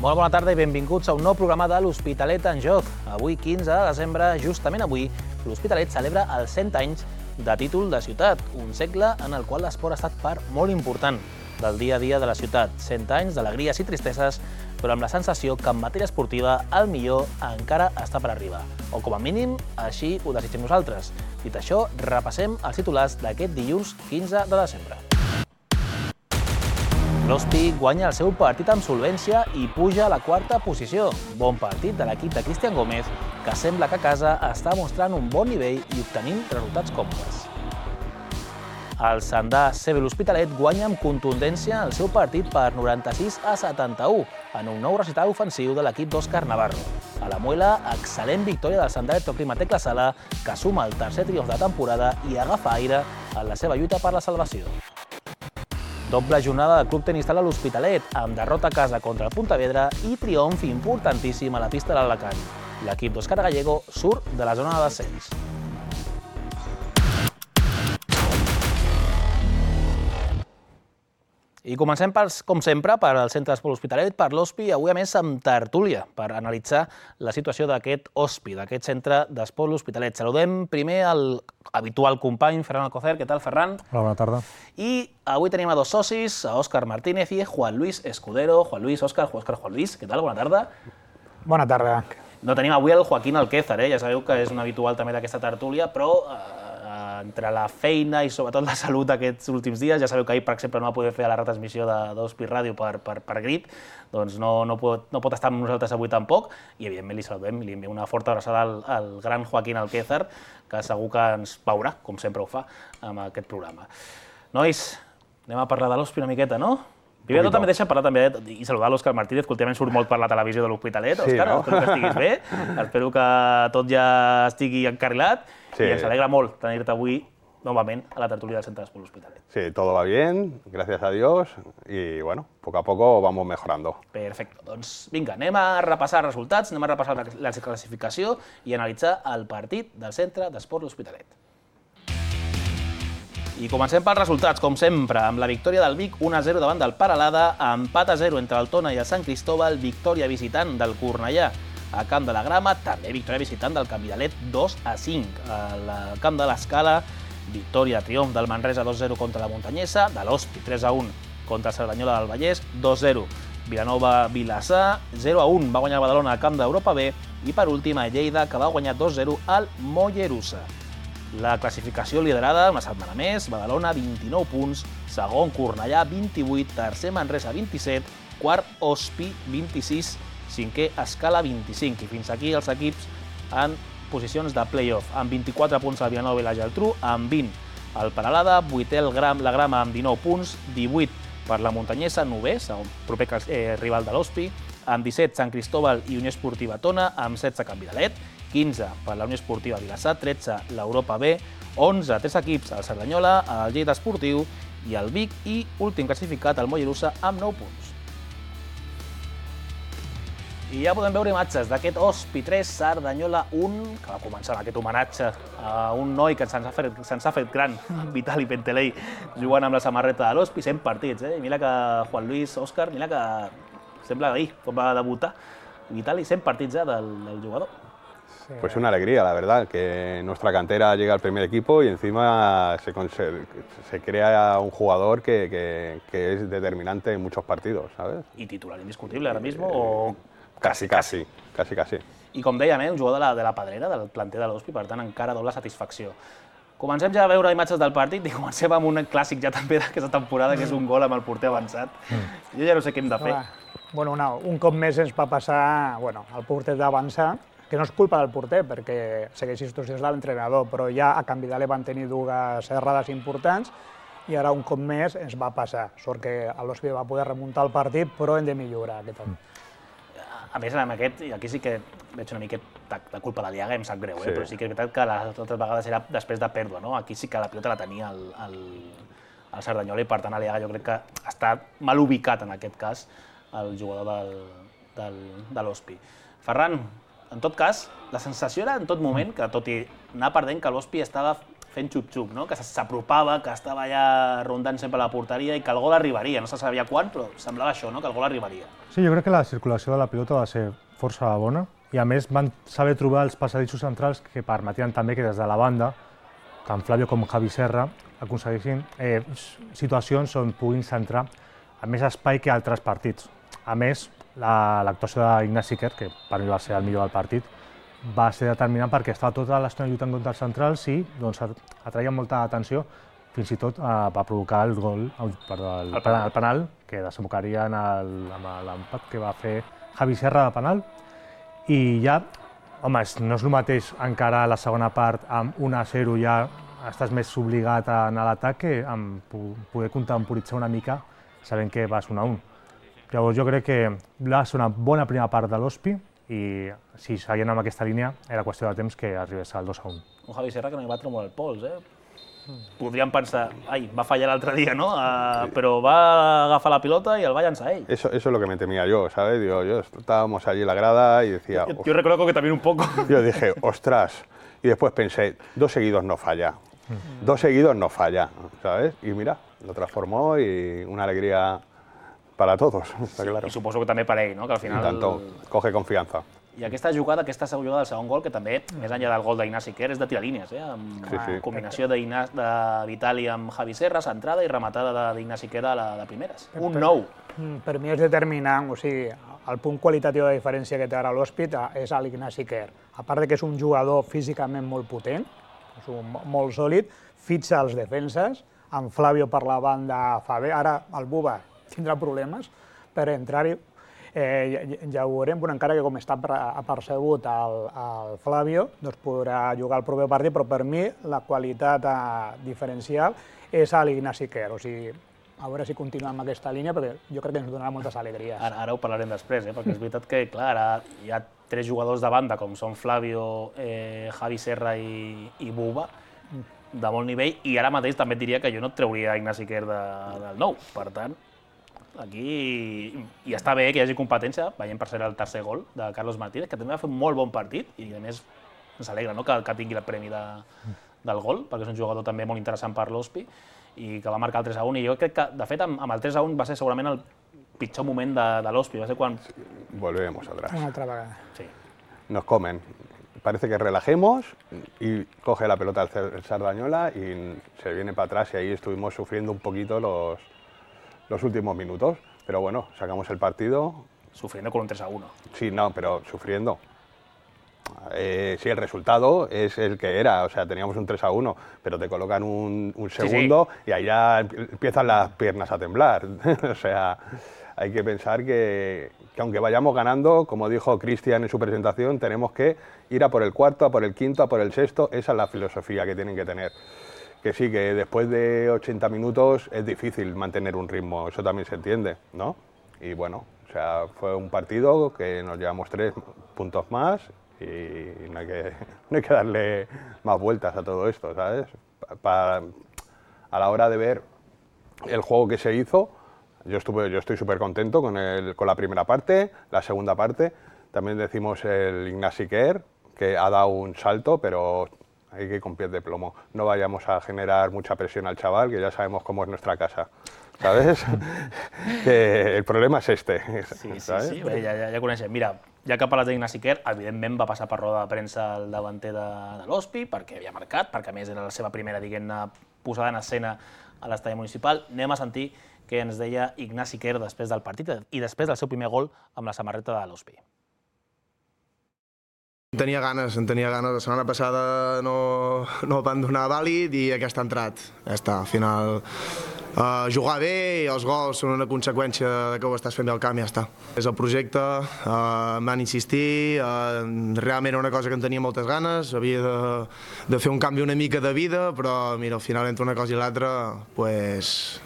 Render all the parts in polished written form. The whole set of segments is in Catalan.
Molt bona tarda i benvinguts a un nou programa de l'Hospitalet en Joc. Avui, 15 de desembre, justament avui, l'Hospitalet celebra els 100 anys de títol de ciutat, un segle en el qual l'esport ha estat part molt important del dia a dia de la ciutat. 100 anys d'alegries i tristeses, però amb la sensació que en matèria esportiva el millor encara està per arribar. O com a mínim, així ho desitgem nosaltres. Dit això, repassem els titulars d'aquest dilluns 15 de desembre. L'Hospi guanya el seu partit amb solvència i puja a la quarta posició. Bon partit de l'equip de Cristian Gómez, que sembla que a casa està mostrant un bon nivell i obtenint resultats còmodes. El Sandà CB l'Hospitalet guanya amb contundència el seu partit per 96-71 en un nou recital ofensiu de l'equip d'Òscar Navarro. A la Muela, excel·lent victòria del Sandà Electroclima Tecla Sala, que suma el tercer triomf de temporada i agafa aire en la seva lluita per la salvació. Doble jornada del Club Tenis Sala l'Hospitalet, amb derrota a casa contra el Pontevedra i triomf importantíssim a la pista de l'Alacant. L'equip d'Òscar Gallego surt de la zona de descens. I comencem, com sempre, per al Centre d'Esport L'Hospitalet, per l'Hospi, avui a més amb tertúlia, per analitzar la situació d'aquest Hospi, d'aquest Centre d'Esport L'Hospitalet. Saludem primer el habitual company, Ferran Alcocer. Què tal, Ferran? Hola, bona tarda. I avui tenim a dos socis, a Òscar Martínez i Juan Luis Escudero. Juan Luis, Òscar, Juan Luis, què tal? Bona tarda. Bona tarda. No tenim avui el Joaquín Alquézar, ja sabeu que és un habitual també d'aquesta tertúlia, però entre la feina i sobretot la salut aquests últims dies, ja sabeu que ahir, per exemple, no va poder fer la retransmissió d'Hospi Ràdio per Grit, doncs no pot estar amb nosaltres avui tampoc, i evidentment li saludem i li enviem una forta abraçada al gran Joaquín Alquézar, que segur que ens veurà, com sempre ho fa, amb aquest programa. Nois, anem a parlar de l'Hospi una miqueta, no? Primer de tot, també deixa parlar també i saludar l'Òscar Martínez, que últimament surt molt per la televisió de l'Hospitalet. Òscar, espero que estiguis bé, espero que tot ja estigui encarrilat y ens alegra molt tenir-te avui novament a la tertulia del Centre d'Esport L'Hospitalet. Sí, todo va bien, gracias a Dios, y bueno, poco a poco vamos mejorando. Perfecte, doncs vinga, anem a repassar els resultats, anem a repassar la classificació i analitzar el partit del Centre d'Esport L'Hospitalet. I comencem pels resultats, com sempre, amb la victòria del Vic 1-0 davant del Peralada, empat a 0 entre el Tona i el Sant Cristóbal, victòria visitant del Cornellà. A Camp de la Grama, també victòria visitant del Canvidalet 2-5. Al Camp de l'Escala, victòria triomf del Manresa 2-0 contra la Muntanyesa, de l'Hospi 3-1 contra el Cerdanyola del Vallès, 2-0. Vilanova-Vilassar, 0-1 va guanyar el Badalona al Camp d'Europa B i per últim a Lleida, que va guanyar 2-0 al Mollerussa. La classificació liderada una setmana més, Badalona 29 punts, segon Cornellà 28, tercer Manresa 27, quart Hospi 26, cinquè Escala 25, i fins aquí els equips en posicions de play-off, amb 24 punts el Vilanova i la Geltrú, amb 20 el Peralada, 8è la Grama amb 19 punts, 18 per la Muntanyesa, 9è, segon proper rival de l'Hospi, amb 17 Sant Cristóbal i Unió Esportiva Tona, amb 16 Canvidalet, 15 per la Unió Esportiva Vilassar, 13 l'Europa B, 11 tres equips al Cerdanyola, el Lleida Esportiu i el Vic, i últim classificat el Mollerussa amb 9 punts. I ja podem veure imatges d'aquest Hospi 3, Cerdanyola 1, que va començar amb aquest homenatge a un noi que se'ns ha fet gran, Vitali Pentelei, jugant amb la samarreta de l'Hospi, 100 partits, I mira que Juan Luis, Òscar, mira que sembla ahir, quan va debutar, Vitali, 100 partits del jugador. Pues una alegría, la verdad, que nuestra cantera llega al primer equipo y encima se crea un jugador que es determinante en muchos partidos, ¿sabes? Y titular indiscutible ahora mismo, o... Casi. I com dèiem, un jugador de la Pedrera, del planter de l'Hospi, per tant, encara doble satisfacció. Comencem ja a veure imatges del partit i comencem amb un clàssic ja també d'aquesta temporada, que és un gol amb el porter avançat. Jo ja no sé què hem de fer. Bueno, un cop més ens va passar el porter d'avançar, que no és culpa del porter, perquè segueix instruccions de l'entrenador, però ja a Canvidalet van tenir dues errades importants i ara un cop més ens va passar. Sort que l'Hospi va poder remuntar el partit, però hem de millorar aquest any. A més, amb aquest, i aquí sí que veig una miqueta de culpa de l'Iaga, em sap greu, però sí que és veritat que les altres vegades era després de pèrdua, no? Aquí sí que la pilota la tenia el Cerdanyola i per tant l'Iaga jo crec que està mal ubicat en aquest cas el jugador de l'Hospi. Ferran, en tot cas, la sensació era en tot moment que tot i anar perdent que l'Hospi estava fent xup-xup, no? Que s'apropava, que estava allà rondant sempre la porteria i que el gol arribaria. No se sabia quan, però semblava això, no? Que el gol arribaria. Sí, jo crec que la circulació de la pilota va ser força bona i a més van saber trobar els passadissos centrals que permetien també que des de la banda, tant Flavio com Javi Serra, aconseguissin situacions on puguin centrar amb més espai que altres partits. A més, l'actuació d'Ignasi Quer, que per mi va ser el millor del partit, va ser determinant perquè estava tota l'estona lluitant contra els centrals i atraia molta atenció, fins i tot va provocar el penal, que desembocaria amb l'empat que va fer Javi Serra de penal. I ja, home, no és el mateix encara la segona part amb 1-0 ja estàs més obligat a anar a l'atac que amb poder contemporitzar una mica sabent que vas 1-1. Llavors jo crec que va ser una bona primera part de l'Hospi i si seguien amb aquesta línia era qüestió de temps que arribés al 2-1. Un Javi Serra que no hi va treure el pols, Podríem pensar, va fallar l'altre dia, ¿no? Pero va agafar la pilota y el va llançar ell. Eso es lo que me temía yo, ¿sabes? Digo, estábamos allí en la grada y decía... Yo reconozco que también un poco. Yo dije, ostras, y después pensé, 2 seguidos no falla. 2 seguidos no falla, ¿sabes? Y mira, lo transformó y una alegría para todos, está claro. I suposo que també per ell, no? Que al final... I tanto, coge confianza. I aquesta jugada del segon gol, que també, més enllà del gol d'Ignasi Quer, és de tirar línies, amb combinació de Vitali amb Javi Serra, centrada i rematada d'Ignasi Quer de primeres. Un 9. Per mi és determinant, o sigui, el punt qualitatiu de diferència que té ara l'Hòspit és l'Ignasi Quer. A part que és un jugador físicament molt potent, és molt sòlid, fitxa els defenses, amb Flavio per la banda fa bé, ara el Buba tindrà problemes per entrar-hi. Ja ho veurem, però encara que com està apercebut el Flavio, doncs podrà jugar el proper partit, però per mi la qualitat diferencial és l'Ignasi Quer. O sigui, a veure si continuem amb aquesta línia, perquè jo crec que ens donarà moltes alegries. Ara ho parlarem després, perquè és veritat que, clar, ara hi ha 3 jugadors de banda, com són Flavio, Javi Serra i Buba, de molt nivell, i ara mateix també et diria que jo no et trauria Ignasi Quer del 9. Per tant, aquí i està bé que hi hagi competència, veiem per ser el tercer gol de Carlos Martínez, que també va fer un molt bon partit i a més ens alegra que tingui el premi del gol, perquè és un jugador també molt interessant per l'Hospi i que va marcar el 3-1 i jo crec que, de fet, amb el 3-1 va ser segurament el pitjor moment de l'Hospi, va ser quan... Volvemos atrás. Una altra vegada. Sí. Nos comen. Parece que relajemos y coge la pelota el Sardañola y se viene para atrás y ahí estuvimos sufriendo un poquito los últimos minutos, pero bueno, sacamos el partido. Sufriendo con un 3-1. Sí, no, pero sufriendo. Sí, el resultado es el que era, o sea, teníamos un 3-1, pero te colocan un segundo y ahí ya empiezan las piernas a temblar. O sea, hay que pensar que aunque vayamos ganando, como dijo Cristian en su presentación, tenemos que ir a por el cuarto, a por el quinto, a por el sexto. Esa es la filosofía que tienen que tener. Que sí, que después de 80 minutos es difícil mantener un ritmo, eso también se entiende, ¿no? Y bueno, o sea, fue un partido que nos llevamos 3 puntos más y no hay que darle más vueltas a todo esto, ¿sabes? A la hora de ver el juego que se hizo, yo estoy súper contento con la primera parte, la segunda parte, también decimos el Ignasi Quer, que ha dado un salto, pero hay que ir con pies de plomo. No vayamos a generar mucha presión al chaval, que ya sabemos cómo es nuestra casa, ¿sabes? Que el problema és este. ¿sabes? Sí. Ja coneixem. Mira, ja que parles d'Ignasi Quer, evidentment va passar per roda de premsa el davanter de l'Hospi, perquè havia marcat, perquè a més era la seva primera, diguem-ne, posada en escena a l'estadi municipal. Anem a sentir què ens deia Ignasi Quer després del partit i després del seu primer gol amb la samarreta de l'Hospi. En tenia ganes. La setmana passada no van donar vàlid i aquesta ha entrat. Ja està, al final jugar bé i els gols són una conseqüència que ho estàs fent bé al camp i ja està. És el projecte, van insistir, realment era una cosa que en tenia moltes ganes, havia de fer un canvi una mica de vida, però mira, al final entre una cosa i l'altra es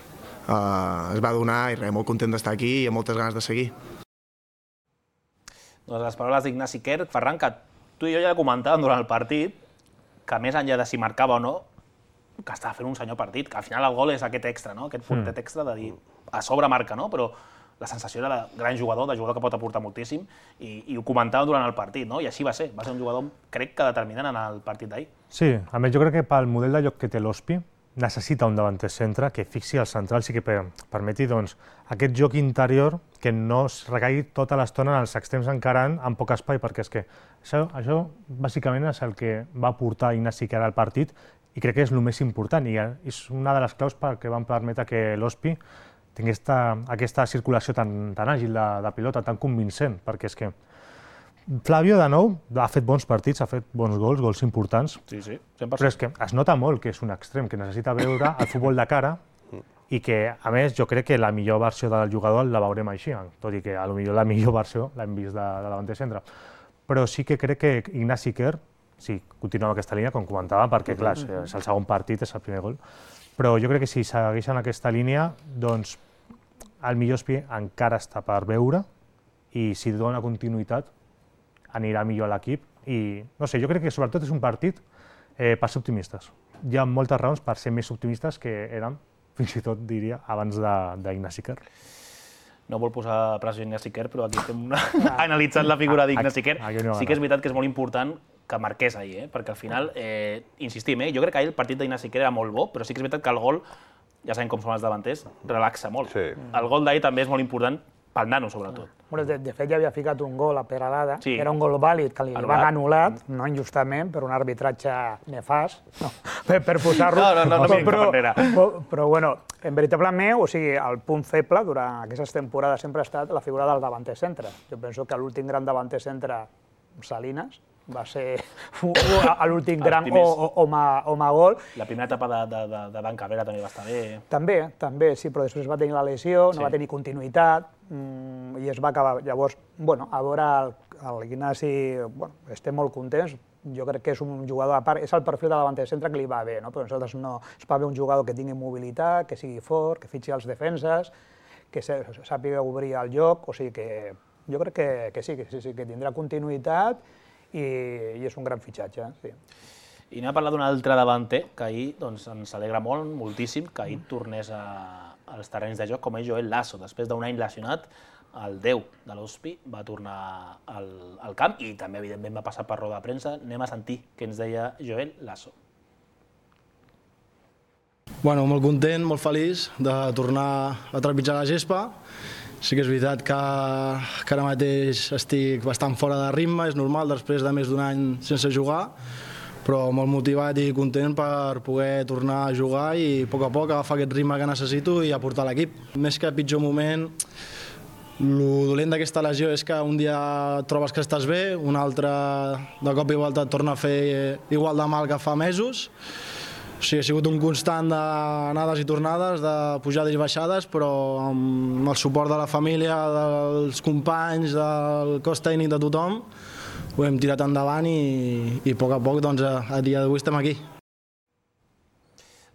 va donar i res, molt content d'estar aquí i amb moltes ganes de seguir. Doncs les paraules d'Ignasi Quer, Ferran, que tu i jo ja comentàvem durant el partit, que més enllà de si marcava o no, que estava fent un senyor partit, que al final el gol és aquest extra, no? Aquest puntet extra de dir, a sobre marca, no? Però la sensació era de gran jugador, de jugador que pot aportar moltíssim, i ho comentàvem durant el partit, no? I així va ser un jugador, crec que determinant en el partit d'ahir. Sí, a més jo crec que pel model de joc que té l'Hospi necessita un davanter centre que fixi el central, sí que permeti aquest joc interior que no es recaigui tota l'estona en els extrems encarant amb poc espai, perquè és que això bàsicament és el que va portar Ignasi Quer al partit i crec que és el més important i és una de les claus que van permetre que l'Hospi tingués aquesta circulació tan àgil de pilota, tan convincent, perquè és que Flavio, de nou, ha fet bons partits, ha fet bons gols importants, Sí, 100%. però és que es nota molt que és un extrem, que necessita veure el futbol de cara i que, a més, jo crec que la millor versió del jugador la veurem així, tot i que potser la millor versió l'hem vist de davanter centre. Però sí que crec que Ignasi Quer, sí, continua amb aquesta línia, com comentava, perquè, clar, és el segon partit, és el primer gol, però jo crec que si segueixen aquesta línia, doncs el millor Hospi encara està per veure i si dona continuïtat anirà millor a l'equip i, no sé, jo crec que sobretot és un partit per ser optimistes. Hi ha moltes raons per ser més optimistes que eren, fins i tot diria, abans d'Ignasi Quer. No vol posar pressió a Ignasi Quer, però aquí estem analitzant la figura d'Ignasi Quer. Sí que és veritat que és molt important que marqués ahir, perquè al final, insistim, jo crec que ahir el partit d'Ignasi Quer era molt bo, però sí que és veritat que el gol, ja sabem com són els davanters, relaxa molt. Sí. El gol d'ahir també és molt important pel nano, sobretot. De fet, ja havia ficat un gol a Peralada, Sí. que era un gol vàlid, que li van anul·lat, no injustament, per un arbitratge nefast, per posar-lo. No mirin cap enrere. Però, bueno, veritablement, o sigui, el punt feble durant aquestes temporades sempre ha estat la figura del davanter centre. Jo penso que l'últim gran davanter centre, Salinas, va ser l'últim gran home gol. La primera etapa de Dan Cabrera també va estar bé. També, sí, però després va tenir la lesió, no va tenir continuïtat i es va acabar. Llavors, a veure, l'Ignasi, estem molt contents, jo crec que és un jugador a part, és el perfil de davanter centre que li va bé, però nosaltres no, es va bé un jugador que tingui mobilitat, que sigui fort, que fitxi els defenses, que sàpiga obrir el joc, o sigui que jo crec que sí, que tindrà continuïtat i és un gran fitxatge. Sí. I anem a parlar d'un altre davanter, que ahir ens alegra moltíssim, que ahir tornés als terrenys de joc, com és Joel Lasso. Després d'un any lesionat, el 10 de l'Hospi va tornar al camp i també, evidentment, va passar per roda de premsa. Anem a sentir què ens deia Joel Lasso. Bueno, molt content, molt feliç de tornar a trepitjar la gespa. Sí que és veritat que ara mateix estic bastant fora de ritme, és normal, després de més d'un any sense jugar, però molt motivat i content per poder tornar a jugar i a poc agafar aquest ritme que necessito i aportar a l'equip. Més que pitjor moment, el dolent d'aquesta lesió és que un dia trobes que estàs bé, un altre de cop i volta et torna a fer igual de mal que fa mesos. O sigui, ha sigut un constant d'anades i tornades, de pujades i baixades, però amb el suport de la família, dels companys, del cos tècnic de tothom, ho hem tirat endavant i a poc, a dia d'avui estem aquí.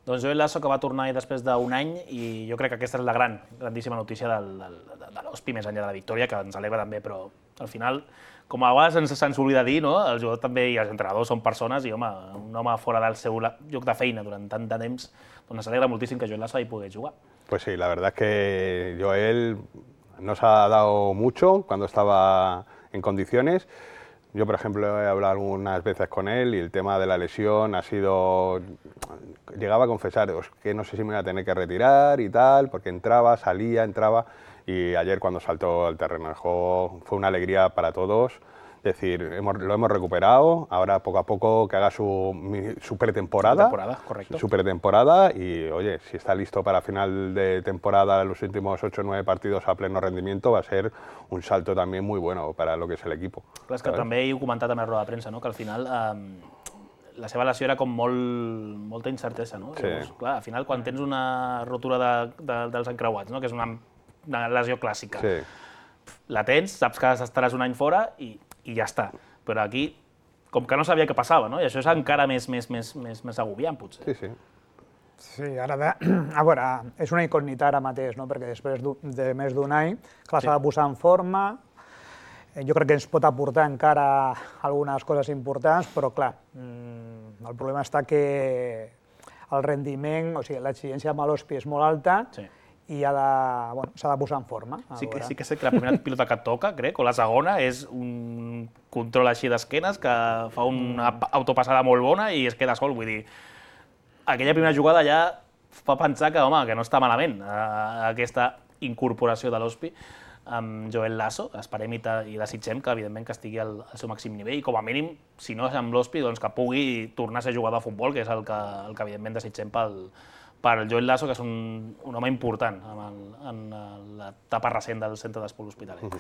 Doncs Joel Lasso, que va tornar després d'un any, i jo crec que aquesta és la grandíssima notícia de l'Hospi, més enllà de la victòria, que ens alegra també, però al final, com a vegades se'ns oblida dir, el jugador també i els entrenadors són persones i, home, un home fora del seu lloc de feina durant tant de temps, doncs ens alegra moltíssim que Joel Lasso hi pogués jugar. Pues sí, la verdad es que Joel nos ha dado mucho cuando estaba en condiciones. Yo, por ejemplo, he hablado algunas veces con él y el tema de la lesión ha sido... Llegaba a confesar que no sé si me iba a tener que retirar y tal, porque entraba, salía, entraba... Y ayer cuando saltó al terreno de juego fue una alegría para todos. Es decir, lo hemos recuperado, ahora poco a poco que haga su pretemporada. Correcto. Su pretemporada y, oye, si está listo para final de temporada, los últimos 8 o 9 partidos a pleno rendimiento, va a ser un salto también muy bueno para lo que es el equipo. Clar, és que també he comentat a la roda de premsa, que al final la seva lesió era com molta incertesa. No? Sí. Llavors, clar, al final, quan tens una rotura dels encreuats, que és una lesió clàssica, Sí. la tens, saps que estaràs un any fora i ja està. Però aquí, com que no sabia què passava, i això és encara més agobiant, potser. Sí, sí. Sí, a veure, és una incògnita ara mateix, perquè després de més d'un any, clar, s'ha de posar en forma, jo crec que ens pot aportar encara algunes coses importants, però clar, el problema està que el rendiment, o sigui, l'exigència amb l'Hospi és molt alta i s'ha de posar en forma. Sí que sé que la primera pilota que toca, crec, o la segona, és un control així d'esquenes que fa una autopassada molt bona i es queda sol, vull dir, aquella primera jugada ja fa pensar que, home, que no està malament aquesta incorporació de l'Hospi amb Joel Lasso. Esperem i desitgem que, evidentment, que estigui al seu màxim nivell i, com a mínim, si no és amb l'Hospi, doncs que pugui tornar a ser jugador de futbol, que és el que evidentment, desitgem per Joel Lasso, que és un home important en l'etapa recent del centre d'esport L'Hospitalet.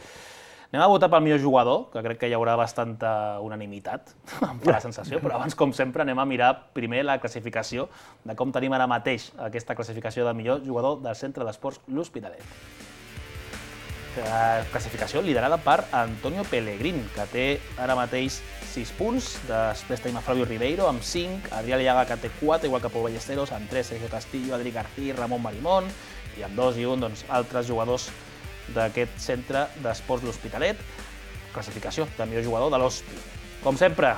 Anem a votar pel millor jugador, que crec que hi haurà bastanta unanimitat, em fa la sensació, però abans, com sempre, anem a mirar primer la classificació de com tenim ara mateix aquesta classificació de millor jugador del centre d'esports L'Hospitalet. Classificació liderada per Antonio Pellegrín, que té ara mateix 6 punts, després tenim a Flavio Ribeiro amb 5, Adrià Liaga, que té 4, igual que Pau Ballesteros, amb 3, Sergio Castillo, Adri García i Ramon Marimón, i amb 2 i 1, doncs, altres jugadors d'aquest centre d'esports L'Hospitalet. Classificació de millor jugador de l'Hospi. Com sempre,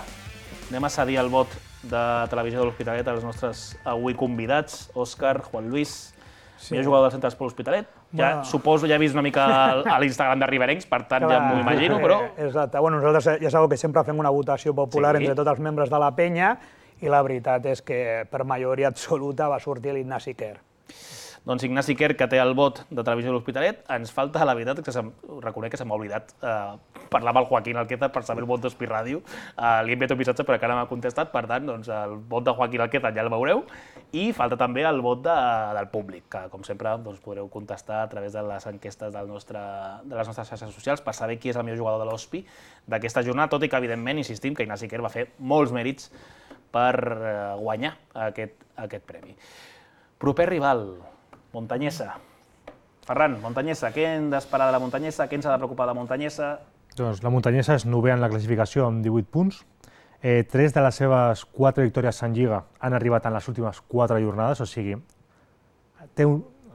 anem a cedir el vot de Televisió de L'Hospitalet als nostres avui convidats, Òscar, Juan Luis, millor jugador del centre d'esports L'Hospitalet. Ja suposo, ja he vist una mica a l'Instagram de Riberencs, per tant ja m'ho imagino, però... Exacte. Bueno, nosaltres ja sabeu que sempre fem una votació popular entre tots els membres de la penya i la veritat és que per majoria absoluta va sortir l'Ignasi Quer. Doncs Ignasi Quer, que té el vot de Televisió de L'Hospitalet, ens falta, la veritat, que reconec que se m'ha oblidat parlar amb el Joaquín Alqueta per saber el vot d'Hospi Ràdio. Li he enviat un missatge però encara no m'ha contestat, per tant, doncs, el vot de Joaquín Alqueta ja el veureu. I falta també el vot del públic, que com sempre doncs, podreu contestar a través de les enquestes de les nostres xarxes socials per saber qui és el millor jugador de l'Hospi d'aquesta jornada, tot i que, evidentment, insistim que Ignasi Quer va fer molts mèrits per guanyar aquest premi. Proper rival, Montanyesa. Ferran, Montanyesa, què hem d'esperar de la Montanyesa? Què ens ha de preocupar de la Montanyesa? Doncs la Montanyesa és novè en la classificació amb 18 punts. 3 de les seves 4 victòries en Lliga han arribat en les últimes 4 jornades, o sigui,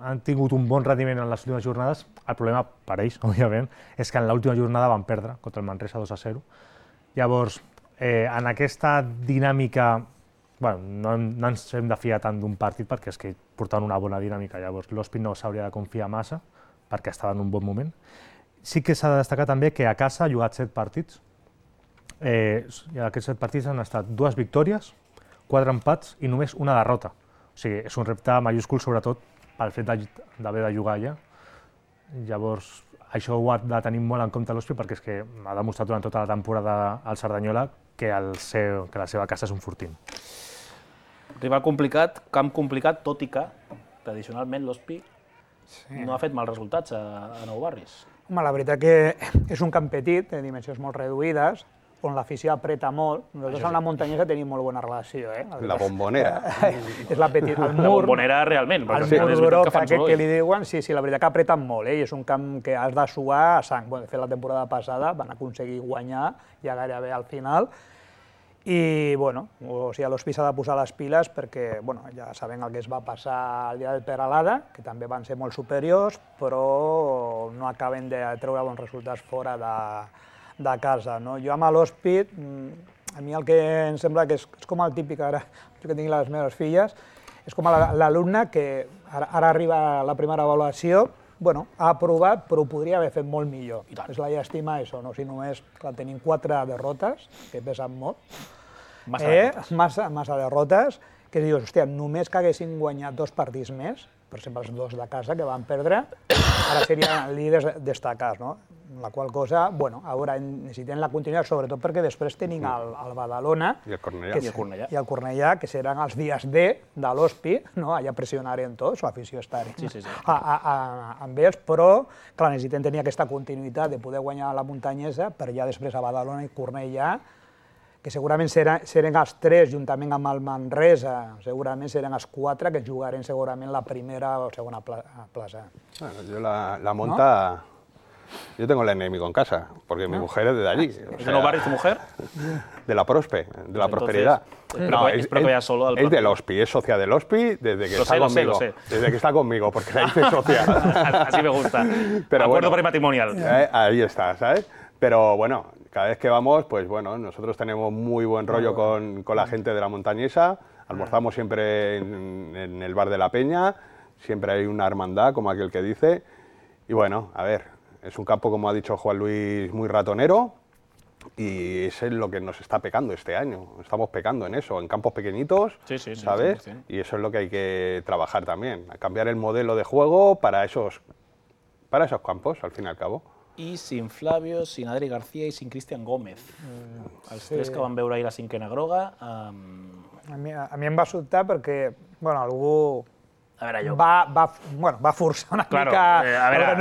han tingut un bon rendiment en les últimes jornades. El problema per ells, òbviament, és que en l'última jornada van perdre contra el Manresa 2-0. Llavors, en aquesta dinàmica, no ens hem de fiar tant d'un partit perquè és que portaven una bona dinàmica, llavors l'Hospi no s'hauria de confiar massa perquè estava en un bon moment. Sí que s'ha de destacar també que a casa ha jugat 7 partits, i aquests 7 partits han estat 2 victòries, 4 empats i només una derrota. O sigui, és un repte majúscul sobretot pel fet d'haver de jugar allà. Llavors, això ho ha de tenir molt en compte l'Hospi perquè és que ha demostrat durant tota la temporada al Cerdanyola que la seva casa és un fortín. Rival complicat, camp complicat, tot i que, tradicionalment, l'Hospi no ha fet mals resultats a Nou Barris. Home, la veritat que és un camp petit, de dimensions molt reduïdes, on l'afició apreta molt. Nosaltres amb la Montanyesa tenim molt bona relació. La Bombonera. És la petita. La Bombonera realment. El mur groc aquest que li diuen, sí, la veritat que apreten molt, i és un camp que has de suar a sang. De fet, la temporada passada van aconseguir guanyar ja gairebé al final. I, l'Hospi s'ha de posar les piles perquè, ja sabem el que es va passar el dia del Peralada, que també van ser molt superiors, però no acaben de treure bons resultats fora de casa. Jo amb l'Hospi, a mi el que em sembla que és com el típic, ara jo que tinc les meves filles, és com l'alumne que ara arriba la primera avaluació, ha aprovat, però ho podria haver fet molt millor. És la llàstima, això, si només tenim 4 derrotes, que pesen molt, massa derrotes, que dius, hòstia, només que haguessin guanyat 2 partits més, per exemple, els 2 de casa que van perdre, ara serien líders destacats, no? La qual cosa, ara necessitem la continuïtat, sobretot perquè després tenim el Badalona i el Cornellà, que seran els dies D de l'Hospi, allà pressionarem tots, l'afició estarà amb ells, però necessitem tenir aquesta continuïtat de poder guanyar la Montanyesa per ja després a Badalona i Cornellà, que segurament seran els 3, juntament amb el Manresa, segurament seran els 4 que jugarem segurament la primera o segona plaça. Yo la monta... Yo tengo el enemigo en casa, porque mi mujer es de allí. ¿Es de Nou Barris tu mujer? De la Prospe, de la prosperidad. Es del Hospi, es socia del Hospi desde que está conmigo. Desde que está conmigo, porque la hice socia. Así me gusta. Acuerdo prematrimonial. Ahí está, ¿sabes? Pero bueno, cada vez que vamos, pues nosotros tenemos muy buen rollo con la gente de la Montañesa, almorzamos siempre en el bar de la Peña. siempre hay una hermandad, como aquel que dice, y bueno, a ver, es un campo, como ha dicho Juan Luis, muy ratonero, y eso es lo que nos está pecando este año. Estamos pecando en eso, en campos pequeñitos, ¿sabes? 100%. Y eso es lo que hay que trabajar también, a cambiar el modelo de juego para esos campos, al fin y al cabo. I sin Flavio, sin Adri García i sin Cristian Gómez. Els tres que van veure ahir la cinquena groga... A mi em va sobtar perquè, bueno, algú... A veure, jo... Va forçar una mica...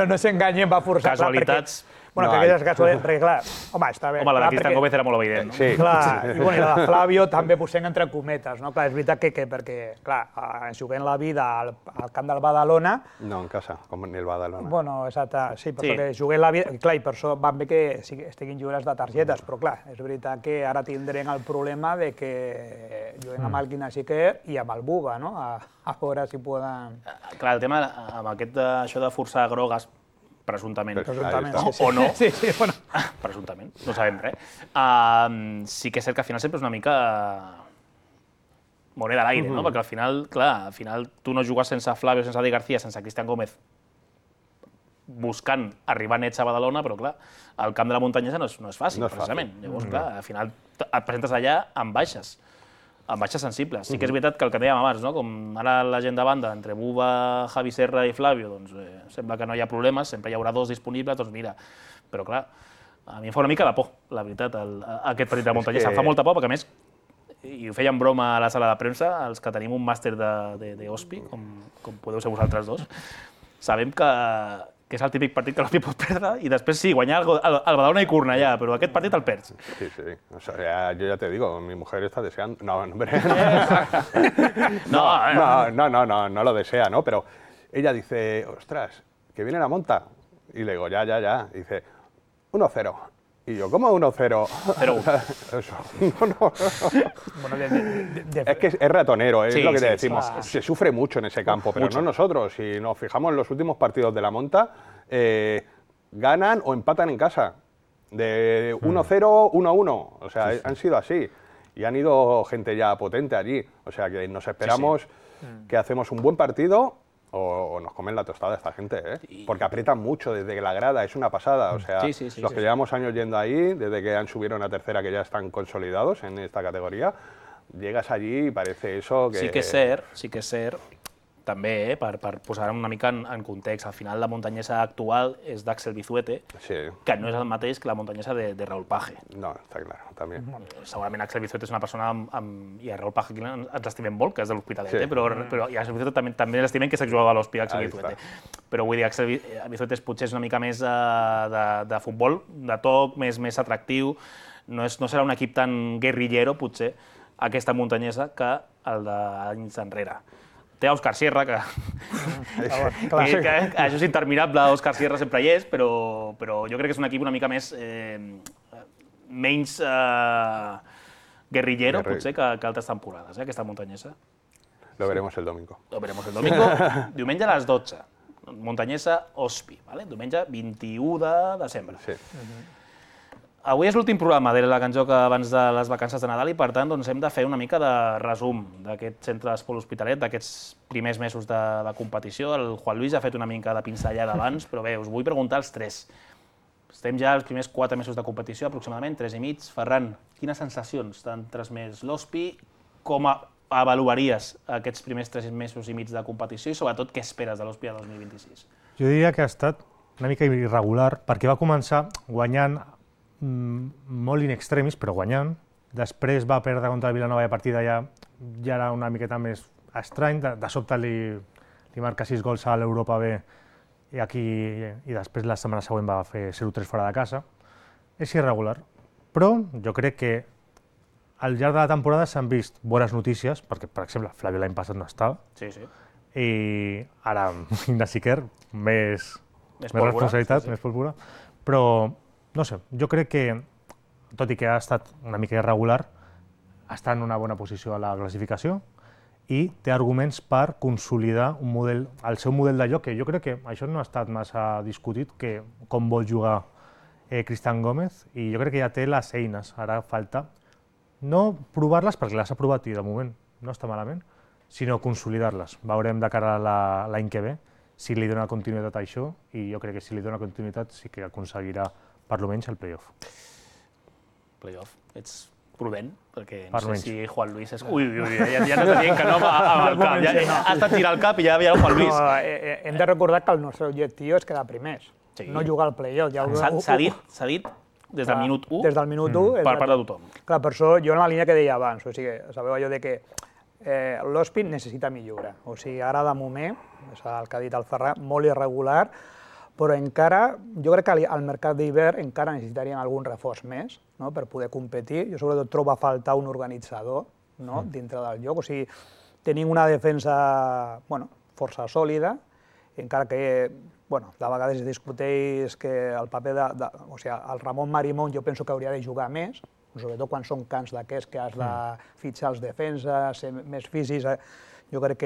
No s'enganyem, va forçar... Casualitats... Bueno, que aquelles casualitats, perquè clar, home, està bé. Home, la de Cristian Gómez era molt evident, no? Sí. Clar, i la de Flavio també posem entre cometes, no? Clar, és veritat que perquè, clar, ens juguem la vida al camp del Badalona... No, en casa, com en el Badalona. Bueno, exacte, sí, però que juguem la vida... Clar, i per això van bé que estiguin jugadors de targetes, però clar, és veritat que ara tindrem el problema de que juguem amb el Guinasiquer i amb el Buba, no? A veure si poden... Clar, el tema amb això de forçar grogues, presumptament, o no, sí, bueno. Presumptament, no sabem res, sí que és cert que al final sempre és una mica moneda a l'aire, no? Perquè al final tu no jugues sense Flavio, sense Adri García, sense Cristian Gómez, buscant arribar nets a Badalona, però clar, el camp de la muntanyesa no és fàcil, precisament. Llavors, clar, al final et presentes allà amb baixes sensibles. Sí que és veritat que el que dèiem abans, com ara la gent de banda, entre Buba, Javi Serra i Flavio, doncs sembla que no hi ha problemes, sempre hi haurà dos disponibles, doncs mira. Però clar, a mi em fa una mica de por, la veritat, aquest partit de muntanyesa. Em fa molta por, perquè a més, i ho feien broma a la sala de premsa, els que tenim un màster d'Hospi, com podeu ser vosaltres dos, sabem que és el típic partit que l'Hospi pot perdre i després sí, guanyar el Badalona i Cornellà, però aquest partit el perds. Sí. O sea, yo ya te digo, mi mujer está deseando... No, hombre. No lo desea, ¿no? Pero ella dice, ostras, que viene la monta. Y le digo, ya. Y dice, 1-0. Y yo, ¿cómo 1-0? 0-1. Es que es ratonero, es lo que te decimos. Claro. Se sufre mucho en ese campo, pero no nosotros. Si nos fijamos en los últimos partidos de la monta, ganan o empatan en casa. De 1-0, 1-1. O sea, han sido así. Y han ido gente ya potente allí. O sea, que nos esperamos que hacemos un buen partido o nos comen la tostada esta gente, ¿eh? Porque aprietan mucho desde que la grada, es una pasada. O sea, los que llevamos años yendo ahí, desde que han subieron a tercera, que ya están consolidados en esta categoría, llegas allí y parece eso que... Sí que és cert, també, per posar una mica en context, al final la muntanyesa actual és d'Axel Bizuete, que no és el mateix que la muntanyesa de Raúl Page. No, està clar, també. Segurament Axel Bizuete és una persona i a Raúl Page ens l'estimem molt, que és de l'Hospitalet, però i a Axel Bizuete també l'estimem, que és exjugador de l'Hospi, Axel Bizuete. Però vull dir, Axel Bizuete potser és una mica més de futbol, de toc, més atractiu, no serà un equip tan guerrillero, potser, aquesta muntanyesa, que el d'anys enrere. Té Òscar Sierra, que això és interminable, Òscar Sierra sempre hi és, però jo crec que és un equip una mica menys guerrillero, potser, que altres temporades, aquesta muntanyesa. Lo veremos el domingo. Diumenge a les 12. Muntanyesa Hospi, diumenge 21 de desembre. Sí. Avui és l'últim programa de la que ens joca abans de les vacances de Nadal i, per tant, hem de fer una mica de resum d'aquest centre d'esport L'Hospitalet, d'aquests primers mesos de competició. El Juan Luis ha fet una mica de pinzellada abans, però bé, us vull preguntar als tres. Estem ja als primers 4 mesos de competició, aproximadament, 3 i mig. Ferran, quines sensacions t'han transmès l'Hospi? Com avaluaries aquests primers 3 mesos i mig de competició i, sobretot, què esperes de l'Hospi a 2026? Jo diria que ha estat una mica irregular, perquè va començar guanyant molt in extremis, però guanyant. Després va perdre contra el Vilanova i a partir d'allà ja era una miqueta més estrany. De sobte li marca 6 gols a l'Europa B i després la setmana següent va fer 0-3 fora de casa. És irregular, però jo crec que al llarg de la temporada s'han vist bones notícies, perquè, per exemple, Flavio l'any passat no estava, i ara Guinasiquer, més responsabilitat, més pólvora, però no sé, jo crec que, tot i que ha estat una mica irregular, està en una bona posició a la classificació i té arguments per consolidar el seu model de joc, que jo crec que això no ha estat massa discutit, com vol jugar Cristian Gómez, i jo crec que ja té les eines. Ara falta no provar-les perquè les ha provat i de moment no està malament, sinó consolidar-les. Veurem de cara a l'any que ve si li dona continuïtat a això, i jo crec que si li dona continuïtat sí que aconseguirà per almenys el play-off. Playoff, ets prudent, perquè Per no sé menys. si Juan Luis és... Ui, ja no t'ha dient que no amb el cap, ha estat tirar el cap i ja veia el Juan Luis. No, hem de recordar que el nostre objectiu és quedar primers, Sí. no jugar al play-off. S'ha dit des del minut 1 Des del minut 1. per part de tothom. Clar, per això jo en la línia que deia abans, o sigui, sabeu allò de que l'Hospit necessita millora. O sigui, ara de moment, és el que ha dit el Ferran, molt irregular, però encara, jo crec que al mercat d'hivern encara necessitarien algun reforç més, no?, per poder competir. Jo sobretot trobo a faltar un organitzador, no?, dintre del joc. O sigui, tenim una defensa, bueno, força sòlida, encara que, bueno, de vegades es discuteix que el paper o sigui, el Ramon Marimón jo penso que hauria de jugar més, sobretot quan són camps d'aquests que has de fitxar els defenses, ser més físics. Jo crec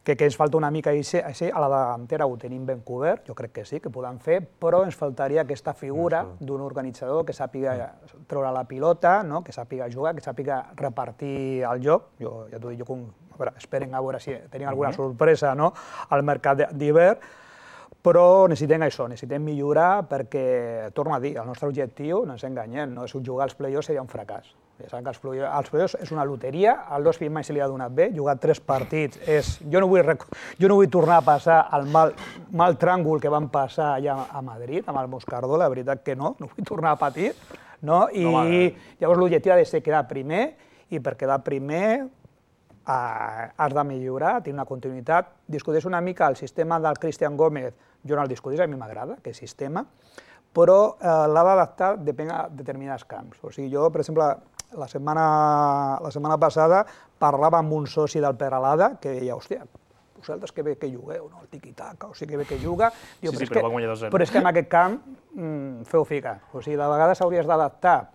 que ens falta una mica així. A la davantera ho tenim ben cobert, jo crec que sí, que podem fer, però ens faltaria aquesta figura d'un organitzador que sàpiga treure la pilota, no?, que sàpiga jugar, que sàpiga repartir el joc. Jo ja t'ho dic, esperen a veure si tenim alguna sorpresa, no?, al mercat d'hivern, però necessitem això, necessitem millorar perquè, torno a dir, el nostre objectiu, no ens enganyem, no és jugar als play-offs seria un fracàs. Ja saben que els play-offs és una loteria, al l'Hospit mai se li ha donat bé, jugar 3 partits és... Jo no vull tornar a passar el mal tràngol que vam passar allà a Madrid, amb el Moscardó, la veritat que no vull tornar a patir, no? I llavors l'objectiu ha de ser quedar primer, i per quedar primer has de millorar, tenir una continuïtat. Discuteix una mica el sistema del Cristian Gómez, jo no el discuteix, a mi m'agrada aquest sistema, però l'ha d'adaptar depèn de determinats camps. O sigui, jo, per exemple, la setmana passada parlava amb un soci del Peralada que deia, hòstia, vosaltres que bé que jugueu, no? El tiqui-taca, o sigui que bé que juga. Sí, però va guanyar 2-0. Però és que en aquest camp feu ficar. O sigui, de vegades hauries d'adaptar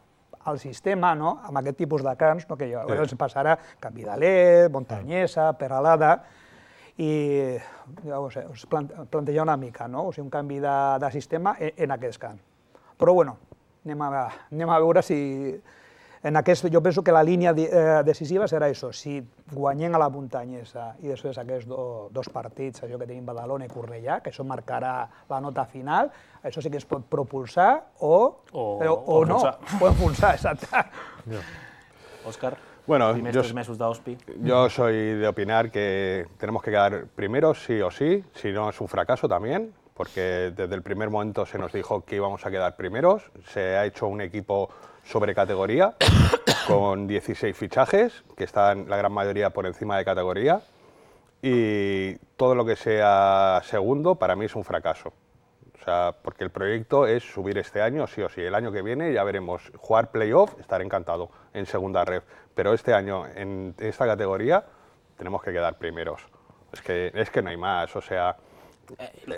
el sistema, no?, amb aquest tipus de camps, no?, que ens passarà Canvidalet, Montanyesa, Peralada, i us plantejar una mica, no?, o sigui, un canvi de sistema en aquests camps. Però, bueno, anem a veure si... Jo penso que la línia decisiva serà això, si guanyem a la Montanyesa i després aquests 2 partits, allò que tenim Badalona i Cornellà, que això marcarà la nota final, això sí que es pot propulsar o no, o enfonsar, exacte. Òscar, primers 3 mesos d'Hospi. Yo soy de opinar que tenemos que quedar primeros sí o sí, si no es un fracaso también, porque desde el primer momento se nos dijo que íbamos a quedar primeros, se ha hecho un equipo sobre categoría, con 16 fichajes, que están la gran mayoría por encima de categoría, y todo lo que sea segundo para mí es un fracaso. O sea, porque el proyecto es subir este año sí o sí. El año que viene ya veremos jugar playoff, estaré encantado en segunda ref, pero este año en esta categoría tenemos que quedar primeros. Es que no hay más, o sea...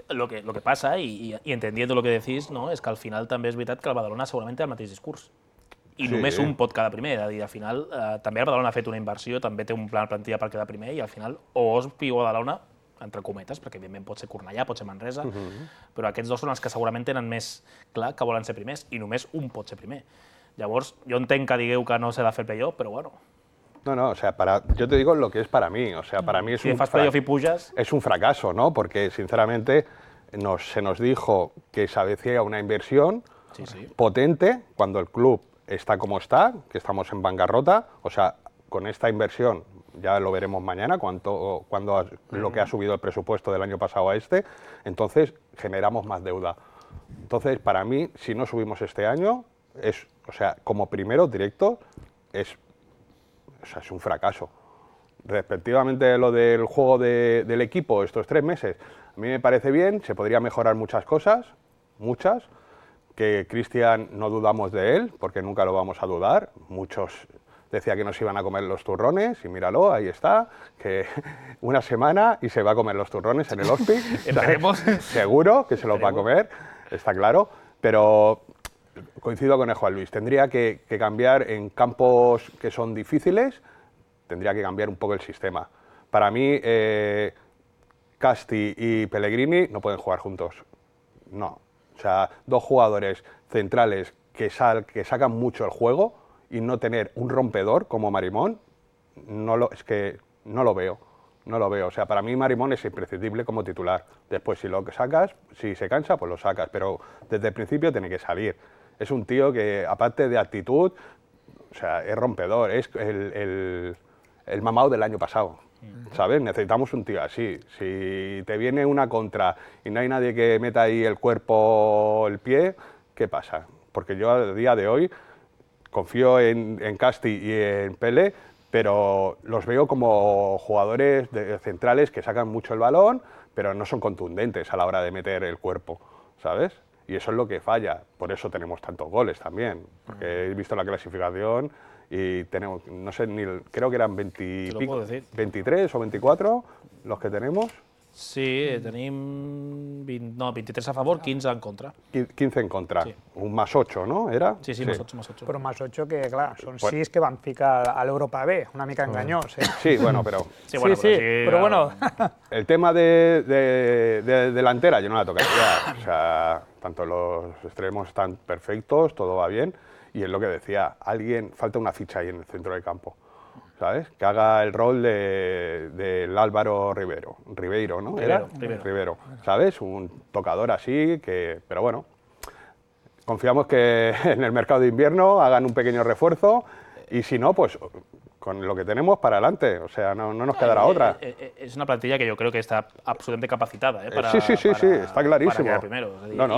Lo que passa, i entendiendo lo que decís, no, és que al final també és veritat que el Badalona segurament té el mateix discurs. I només un pot quedar primer, és a dir, al final també el Badalona ha fet una inversió, també té un pla de plantilla per quedar primer, i al final o Hospi o Badalona, entre cometes, perquè evidentment pot ser Cornellà, pot ser Manresa, però aquests 2 són els que segurament tenen més clar que volen ser primers, i només un pot ser primer. Llavors, jo entenc que digueu que no s'ha de fer playoff, però bueno... No, o sea, yo te digo lo que es para mí, o sea, para mí es un fracaso, ¿no? Porque, sinceramente, se nos dijo que se avecía una inversión potente cuando el club está como está, que estamos en bancarrota, o sea, con esta inversión, ya lo veremos mañana, lo que ha subido el presupuesto del año pasado a este, entonces generamos más deuda. Entonces, para mí, si no subimos este año, o sea, como primero directo, es un fracaso. Respectivamente lo del juego del equipo estos 3 meses, a mí me parece bien, se podría mejorar muchas cosas, muchas, que Cristian no dudamos de él, porque nunca lo vamos a dudar. Muchos decían que nos iban a comer los turrones, y míralo, ahí está, que una semana y se va a comer los turrones en el Hospi. Seguro que se los va a comer, está claro, pero coincido con el Juan Luis, tendría que cambiar en campos que son difíciles, tendría que cambiar un poco el sistema. Para mí, Casti y Pellegrini no pueden jugar juntos, no. O sea, 2 jugadores centrales que sacan mucho el juego y no tener un rompedor como Marimón, es que no lo veo. No lo veo. O sea, para mí Marimón es imprescindible como titular. Después, si lo sacas, si se cansa, pues lo sacas. Pero desde el principio tiene que salir. Es un tío que, aparte de actitud, o sea, es rompedor. Es el mamao del año pasado. ¿Sabes? Necesitamos un tío así. Si te viene una contra y no hay nadie que meta ahí el cuerpo, el pie, ¿qué pasa? Porque yo a día de hoy confío en Casti y en Pele, pero los veo como jugadores centrales que sacan mucho el balón, pero no son contundentes a la hora de meter el cuerpo, ¿sabes? Y eso es lo que falla, por eso tenemos tantos goles también, porque he visto la clasificación y tenemos, no sé, creo que eran 23 o 24 los que tenemos. Sí, tenim 23 a favor, 15 en contra. 15 en contra, Sí. Un más 8, ¿no? ¿Era? Sí, sí, más 8. Però més 8 que, clar, són 6 que van ficar a l'Europa B, una mica enganyós, eh? Sí, bueno, pero... Sí, bueno, sí, però bueno... El tema de delantera yo no la tocaría, o sea, tanto los extremos están perfectos, todo va bien, y es lo que decía, falta una ficha ahí en el centro del campo, ¿sabes? Que haga el rol del Álvaro Ribeiro, ¿no? Rivero, ¿sabes? Un tocador así, pero bueno, confiamos que en el mercado de invierno hagan un pequeño refuerzo, y si no, pues con lo que tenemos para adelante, o sea, no nos quedará otra. Es una plantilla que yo creo que está absolutamente capacitada Sí, está clarísimo. para quedar primero.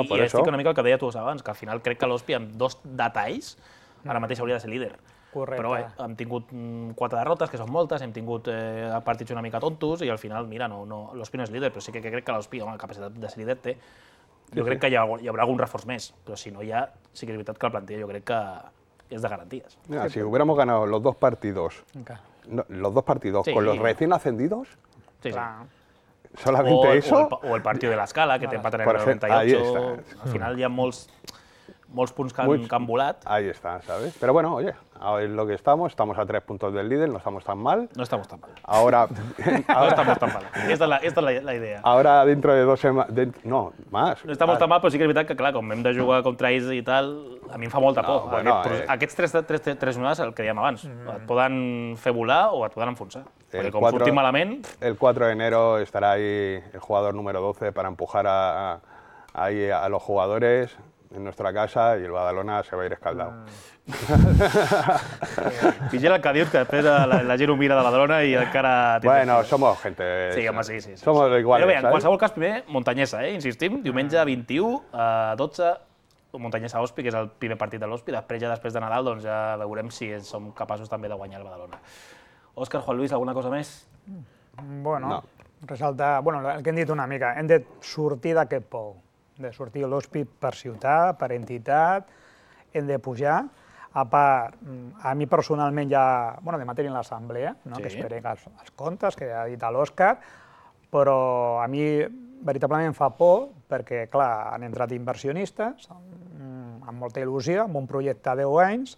Por I eso. estic una mica el que deia tu abans, que al final crec que l'Hospi amb 2 detalls ara mateix hauria de ser líder. Correcte. Però bé, hem tingut 4 derrotes, que són moltes, hem tingut partits una mica tontos i al final, mira, l'Hospi no és líder, però sí que crec que l'Hospi, home, la capacitat de ser líder té. Jo crec que hi haurà algun reforç més, però si no hi ha, sí que és veritat que la plantilla jo crec que és de garanties. Mira, si hubiéramos ganado los dos partidos, Sí. con los recién ascendidos, Sí, sí. Clar. solamente eso... O el partido de l'Escala, que t'empaten en Por el ejemplo, 98. ahí está. Al final hi ha molts punts que han volat. Ahí está, ¿sabes? Pero bueno, oye, ahora es lo que estamos a 3 puntos del líder, no estamos tan mal. No estamos tan mal. Ahora, No estamos tan mal. Esta és la idea. ahora dentro de 2 semanas, no, más. No estamos tan mal, però sí que és veritat que, clar, com hem de jugar contra ells i tal, a mi em fa molta por. bueno, Aquests tres onades, el que dèiem abans, et poden fer volar o et poden enfonsar. Perquè com 4 sortim malament... El 4 de enero estará ahí el jugador número 12 para empujar ahí a los jugadores en nuestra casa y el Badalona se va a ir escaldado. Vigila el que dius, que després la gent ho mira de Badalona i encara... Bueno, somos gente... Sí, home, sí. Somos iguales, Però bé, en ¿sabes? qualsevol cas, primer, Montanyesa, insistim, diumenge 21 a 12, Montanyesa-Hospi, que és el primer partit de l'Hospi. Després de Nadal, doncs ja veurem si som capaços també de guanyar el Badalona. Òscar, Juan Luis, alguna cosa més? Bueno, resaltar, el que hem dit una mica, hem de sortir d'aquest pou, de sortir l'Hospi per ciutat, per entitat, hem de pujar. A part, a mi personalment ja, de matèria en l'assemblea, no? Que esperem els comptes, que ha dit l'Òscar, però a mi veritablement em fa por perquè, clar, han entrat inversionistes amb molta il·lusió, amb un projecte de 10 anys,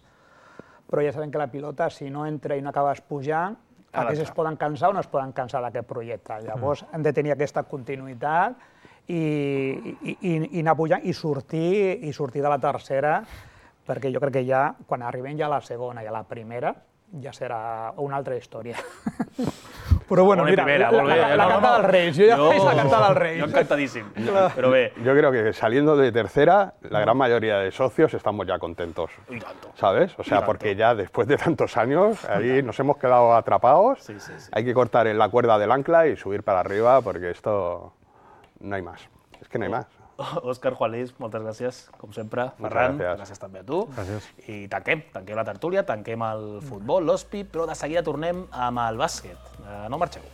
però ja sabem que la pilota, si no entra i no acabes pujant, aquests es poden cansar o no es poden cansar d'aquest projecte. Llavors hem de tenir aquesta continuïtat i anar pujant i sortir de la tercera, perquè jo crec que ja, quan arribem ja a la segona i a la primera, ja serà una altra història. Però bueno, mira, la canta dels Reis, jo ja faig la canta dels Reis. Jo encantadíssim, però bé. Yo creo que saliendo de tercera, la gran mayoría de socios estamos ya contentos, Y tanto. ¿sabes? O sea, porque ya después de tantos años, ahí nos hemos quedado atrapados, Sí. hay que cortar en la cuerda del ancla y subir para arriba, porque esto no hay más, es que no hay más. Òscar, Juan Luis, moltes gràcies, com sempre. Ferran, gràcies. gràcies també a tu. Gràcies. I tanquem la tertúlia, tanquem el futbol, l'Hospi, però de seguida tornem amb el bàsquet. No marxeu.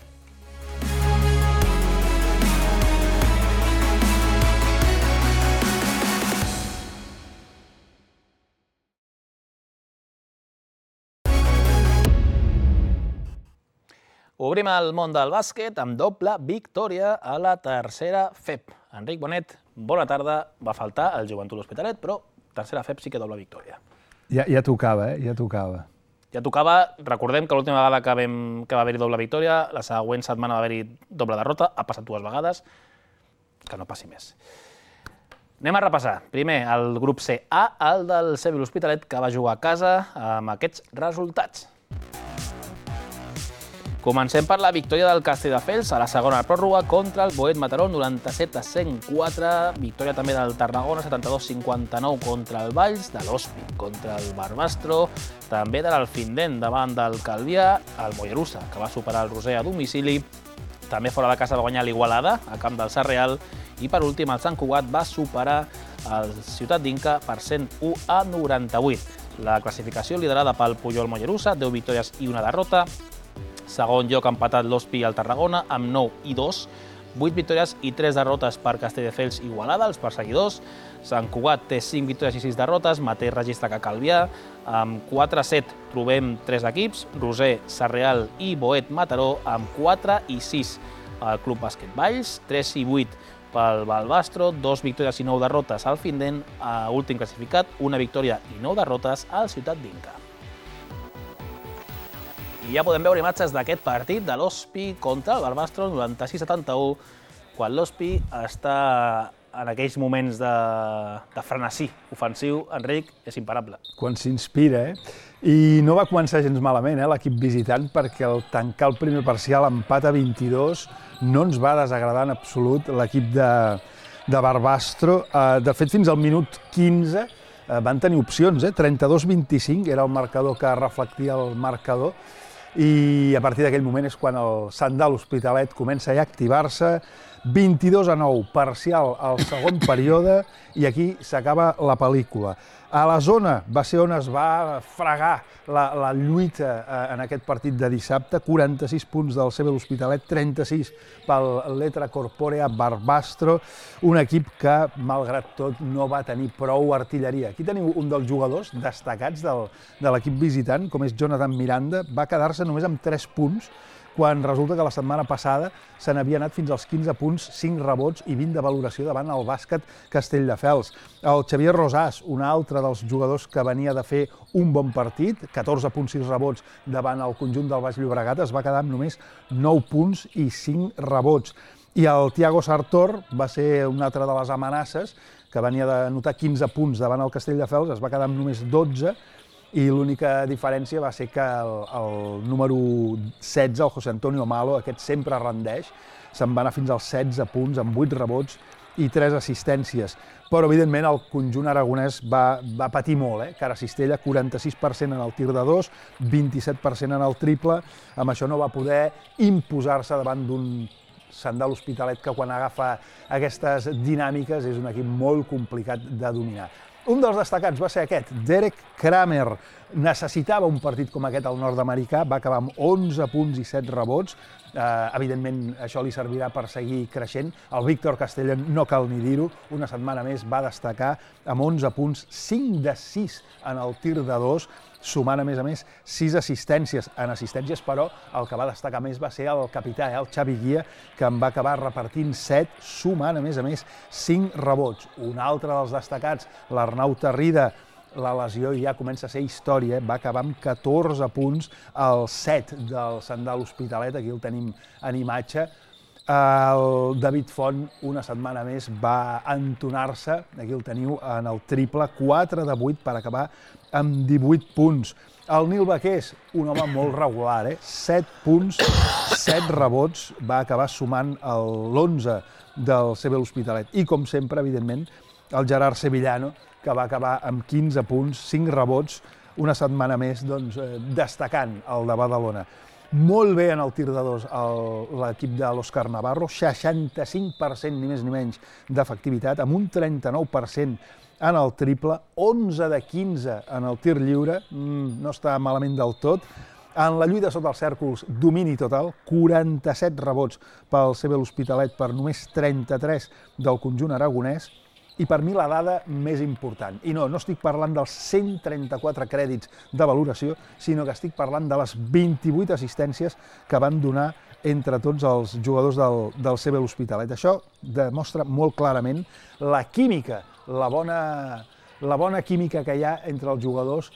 Obrim el món del bàsquet amb doble victòria a la tercera FEP. Enric Bonet, bona tarda. Va faltar el Joventut L'Hospitalet, però tercera FEP sí que doble victòria. Ja tocava, ja tocava. Ja tocava, recordem que l'última vegada que va haver-hi doble victòria, la següent setmana va haver-hi doble derrota, ha passat 2 vegades, que no passi més. Anem a repassar. Primer, el grup C-A, el del Sevilla L'Hospitalet, que va jugar a casa amb aquests resultats. Comencem per la victòria del Castelldefels a la segona pròrroga contra el Boet Mataró, 97-104. Victòria també del Tarragona, 72-59 contra el Valls, de l'Hospi contra el Barbastro, també de l'Alfindent davant del Calvià, el Mollerussa, que va superar el Roser a domicili, també fora de casa va guanyar l'Igualada, a camp del Sarreal, i per últim el Sant Cugat va superar el Ciutat d'Inca per 101-98. La classificació liderada pel Pujol Mollerussa, 10 victòries i una derrota. Segon lloc empatat l'Hospi i el Tarragona, amb 9 i 2. 8 victòries i 3 derrotes per Castelldefels i Igualada, els perseguidors. Sant Cugat té 5 victòries i 6 derrotes, mateix registre que Calvià. Amb 4-7 trobem 3 equips, Roser, Sarreal i Boet Mataró, amb 4 i 6. El Club Bàsquet Valls, 3 i 8 pel Balbastro, 2 victòries i 9 derrotes al Findent, últim classificat, 1 victòria i 9 derrotes al Ciutat d'Inca. I ja podem veure imatges d'aquest partit de l'Hospi contra el Barbastro, 96-71, quan l'Hospi està en aquells moments de frenesí ofensiu. Enric, és imparable. Quan s'inspira, I no va començar gens malament, l'equip visitant, perquè al tancar el primer parcial, empat a 22, no ens va desagradar en absolut l'equip de Barbastro. De fet, fins al minut 15 van tenir opcions, 32-25 era el marcador que reflectia el marcador, i a partir d'aquell moment és quan el Sant de l'Hospitalet comença ja a activar-se, 22-9, parcial al segon període, i aquí s'acaba la pel·lícula. A la zona va ser on es va fregar la lluita en aquest partit de dissabte, 46 punts del CB l'Hospitalet, 36 pel Letra Corporea Barbastro, un equip que, malgrat tot, no va tenir prou artilleria. Aquí teniu un dels jugadors destacats de l'equip visitant, com és Jonathan Miranda, va quedar-se només amb 3 punts, quan resulta que la setmana passada se n'havia anat fins als 15 punts, 5 rebots i 20 de valoració davant el bàsquet Castelldefels. El Xavier Rosàs, un altre dels jugadors que venia de fer un bon partit, 14 punts, 6 rebots davant el conjunt del Baix Llobregat, es va quedar amb només 9 punts i 5 rebots. I el Thiago Sartor va ser una altra de les amenaces, que venia de notar 15 punts davant el Castelldefels, es va quedar amb només 12, i l'única diferència va ser que el número 16, el José Antonio Malo, aquest sempre rendeix, se'n va anar fins als 16 punts, amb 8 rebots i 3 assistències. Però, evidentment, el conjunt aragonès va patir molt, Cara Cistella, 46% en el tir de 2, 27% en el triple, amb això no va poder imposar-se davant d'un Sant de l'Hospitalet que quan agafa aquestes dinàmiques és un equip molt complicat de dominar. Un dels destacats va ser aquest, Derek Kramer. Necessitava un partit com aquest al nord-americà, va acabar amb 11 punts i 7 rebots. Evidentment, això li servirà per seguir creixent. El Víctor Castellón, no cal ni dir-ho, una setmana més va destacar amb 11 punts, 5 de 6 en el tir de 2, sumant, a més, 6 assistències. En assistències, però, el que va destacar més va ser el capità, el Xavi Guia, que en va acabar repartint 7, sumant, a més, 5 rebots. Un altre dels destacats, l'Arnau Tarrida, la lesió ja comença a ser història, va acabar amb 14 punts, el 7 del Sant de l'Hospitalet, aquí el tenim en imatge. El David Font, una setmana més, va entonar-se, aquí el teniu, en el triple, 4 de 8 per acabar amb 18 punts. El Nil Baqués, un home molt regular, 7 punts, 7 rebots, va acabar sumant l'11 del CB l'Hospitalet. I, com sempre, evidentment, el Gerard Sevillano, que va acabar amb 15 punts, 5 rebots, una setmana més destacant el de Badalona. Molt bé en el tir de 2 l'equip de l'Òscar Navarro, 65% ni més ni menys d'efectivitat, amb un 39% en el triple, 11 de 15 en el tir lliure, no està malament del tot. En la lluita sota els cèrcols, domini total, 47 rebots pel CB l'Hospitalet per només 33 del conjunt aragonès, i per mi la dada més important. I no estic parlant dels 134 crèdits de valoració, sinó que estic parlant de les 28 assistències que van donar entre tots els jugadors del CB l'Hospitalet. Això demostra molt clarament la química, la bona química que hi ha entre els jugadors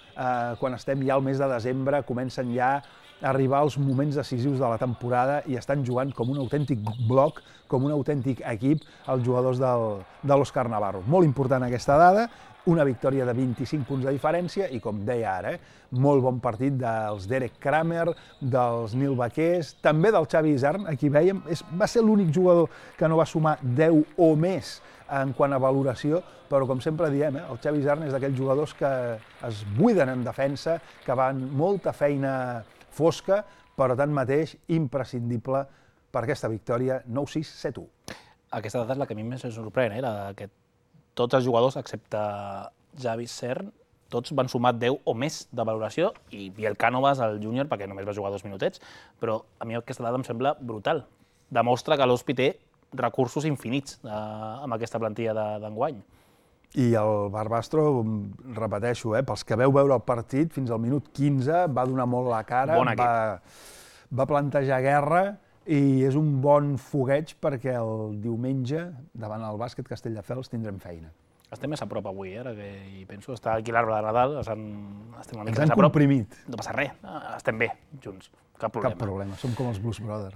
quan estem ja al mes de desembre, comencen ja arribar als moments decisius de la temporada i estan jugant com un autèntic bloc, com un autèntic equip, els jugadors de l'Òscar Navarro. Molt important aquesta dada, una victòria de 25 punts de diferència i, com deia ara, molt bon partit dels Derek Kramer, dels Nil Baquers, també del Xavi Isern, aquí veiem, va ser l'únic jugador que no va sumar 10 o més en quant a valoració, però com sempre diem, el Xavi Isern és d'aquells jugadors que es buiden en defensa, que van molta feina fosca, però tanmateix imprescindible per aquesta victòria 9-6, 7-1. Aquesta data és la que a mi més em sorprèn, que tots els jugadors, excepte Xavi Isern, tots van sumar 10 o més de valoració, i Biel Cánovas, el júnior, perquè només va jugar 2 minutets, però a mi aquesta dada em sembla brutal. Demostra que l'Hospi té recursos infinits amb aquesta plantilla d'enguany. I el Barbastro, repeteixo, pels que veu veure el partit, fins al minut 15 va donar molt la cara, va plantejar guerra i és un bon fogueig perquè el diumenge, davant el Bàsquet Castelldefels, tindrem feina. Estem més a prop avui, ara que hi penso. Està aquí l'arbre de Nadal, estem una mica més a prop. Ens han comprimit. No passa res, estem bé, junts. Cap problema. Cap problema, som com els Blues Brothers.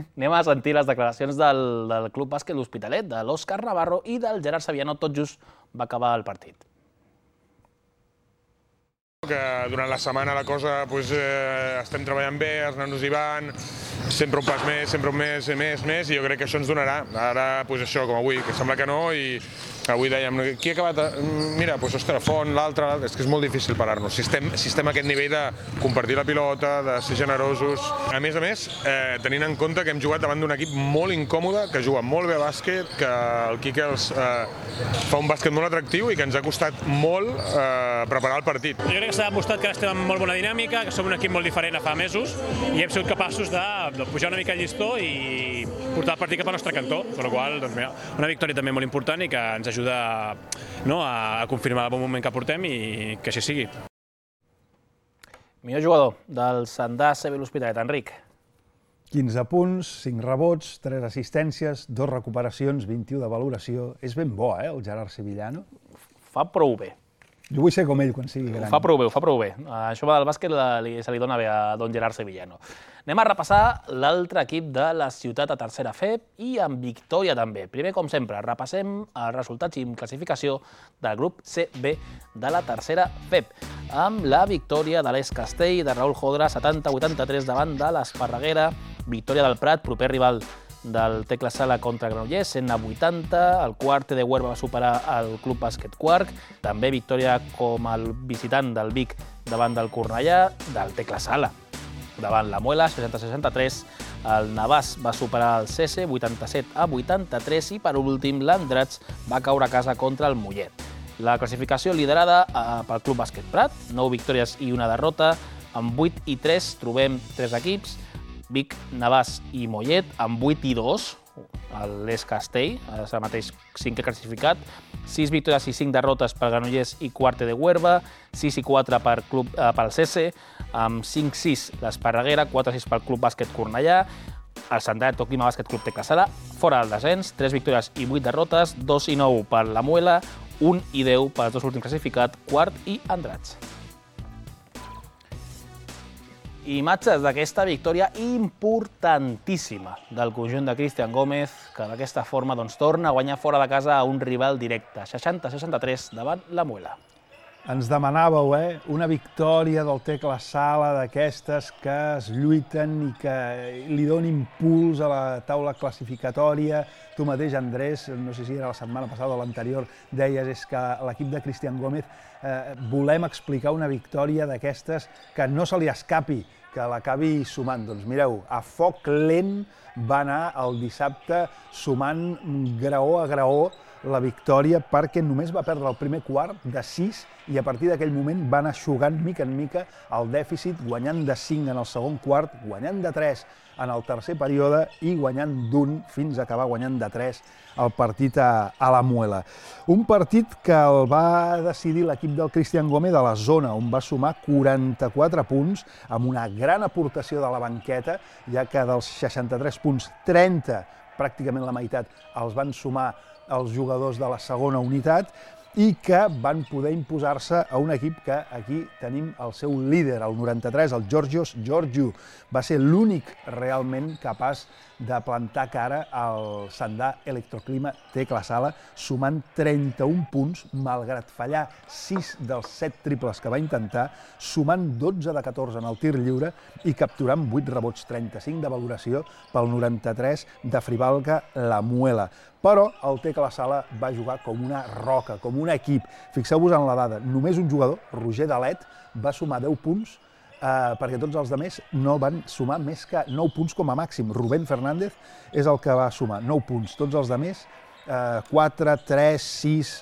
Anem a sentir les declaracions del Club Bàsquet L'Hospitalet, de l'Òscar Navarro i del Gerard Sevillano, tot just va acabar el partit. Que durant la setmana la cosa estem treballant bé, els nanos hi van, sempre un pas més, sempre un més, i jo crec que això ens donarà. Ara, això, com avui, que sembla que no, i avui dèiem, qui ha acabat? Mira, ostres, Font, l'altre, és que és molt difícil parar-nos. Si estem a aquest nivell de compartir la pilota, de ser generosos. A més, tenint en compte que hem jugat davant d'un equip molt incòmode, que juga molt bé a bàsquet, que el Quique fa un bàsquet molt atractiu i que ens ha costat molt preparar el partit. Jo crec que s'ha demostrat que estem en molt bona dinàmica, que som un equip molt diferent a fa mesos i hem sigut capaços de pujar una mica el llistó i portar el partit cap al nostre cantó, per la qual cosa, una victòria també molt important i que ens ajuda a confirmar el bon moment que portem i que així sigui. Millor jugador del Sandà CB L'Hospitalet, Enric. 15 punts, 5 rebots, 3 assistències, 2 recuperacions, 21 de valoració. És ben bo, el Gerard Sevillano. Fa prou bé. Jo vull ser com ell quan sigui gran. Ho fa prou bé. Això del bàsquet se li dona bé a don Gerard Sevillano. Anem a repassar l'altre equip de la ciutat a tercera FEP i amb victòria també. Primer, com sempre, repassem els resultats i classificació del grup CB de la tercera FEP, amb la victòria de l'Es Castell de Raül Jodra 70-83 davant de l'Esparreguera, victòria del Prat, proper rival del Tecla Sala contra Granollers, 100-80, el quart de Huerva va superar el Club Bàsquet Quark, també victòria com el visitant del Vic davant del Cornellà, del Tecla Sala davant la Muela, 60-63, el Navàs va superar el Cese, 87-83, i per últim l'Andrats va caure a casa contra el Mollet. La classificació liderada pel Club Bàsquet Prat, 9 victòries i una derrota, amb 8 i 3 trobem 3 equips, Vic, Navàs i Mollet, amb 8 i 2, l'Es Castell, és el mateix 5è classificat, 6 victòries i 5 derrotes per Granollers i Quarte de Huerva, 6 i 4 pel Cese, amb 5-6 l'Esparreguera, 4-6 pel Club Bàsquet Cornellà, el Santander Clima Bàsquet Club Tecla Sala, fora del descens, 3 victòries i 8 derrotes, 2 i 9 per la Muela, 1 i 10 pels dos últims classificats, Quart i Andrats. Imatges d'aquesta victòria importantíssima del conjunt de Cristian Gómez, que d'aquesta forma torna a guanyar fora de casa a un rival directe, 60-63 davant la Muela. Ens demanàveu, una victòria del Tecla Sala, d'aquestes que es lluiten i que li donen impuls a la taula classificatòria. Tu mateix, Andrés, no sé si era la setmana passada o l'anterior, deies és que l'equip de Cristian Gómez volem explicar una victòria d'aquestes que no se li escapi, que l'acabi sumant. Doncs mireu, a foc lent va anar el dissabte sumant graó a graó la victòria, perquè només va perdre el primer quart de 6 i a partir d'aquell moment va anar eixugant mica en mica el dèficit, guanyant de 5 en el segon quart, guanyant de 3 en el tercer període i guanyant d'1 fins a acabar guanyant de 3 el partit a la Muela. Un partit que el va decidir l'equip del Cristian Gómez a la zona, on va sumar 44 punts, amb una gran aportació de la banqueta, ja que dels 63 punts, 30, pràcticament la meitat, els van sumar els jugadors de la segona unitat, i que van poder imposar-se a un equip que aquí tenim el seu líder, el 93, el Georgios Georgiou. Va ser l'únic realment capaç de plantar cara al Sandà Electroclima Tecla Sala, sumant 31 punts, malgrat fallar 6 dels 7 triples que va intentar, sumant 12 de 14 en el tir lliure i capturant 8 rebots, 35 de valoració pel 93 de Frivalca La Muela. Però el Tecla Sala va jugar com una roca, com un equip. Fixeu-vos en la dada, només un jugador, Roger Dalet, va sumar 10 punts, perquè tots els altres no van sumar més que 9 punts com a màxim. Rubén Fernández és el que va sumar 9 punts, tots els altres 4, 3, 6,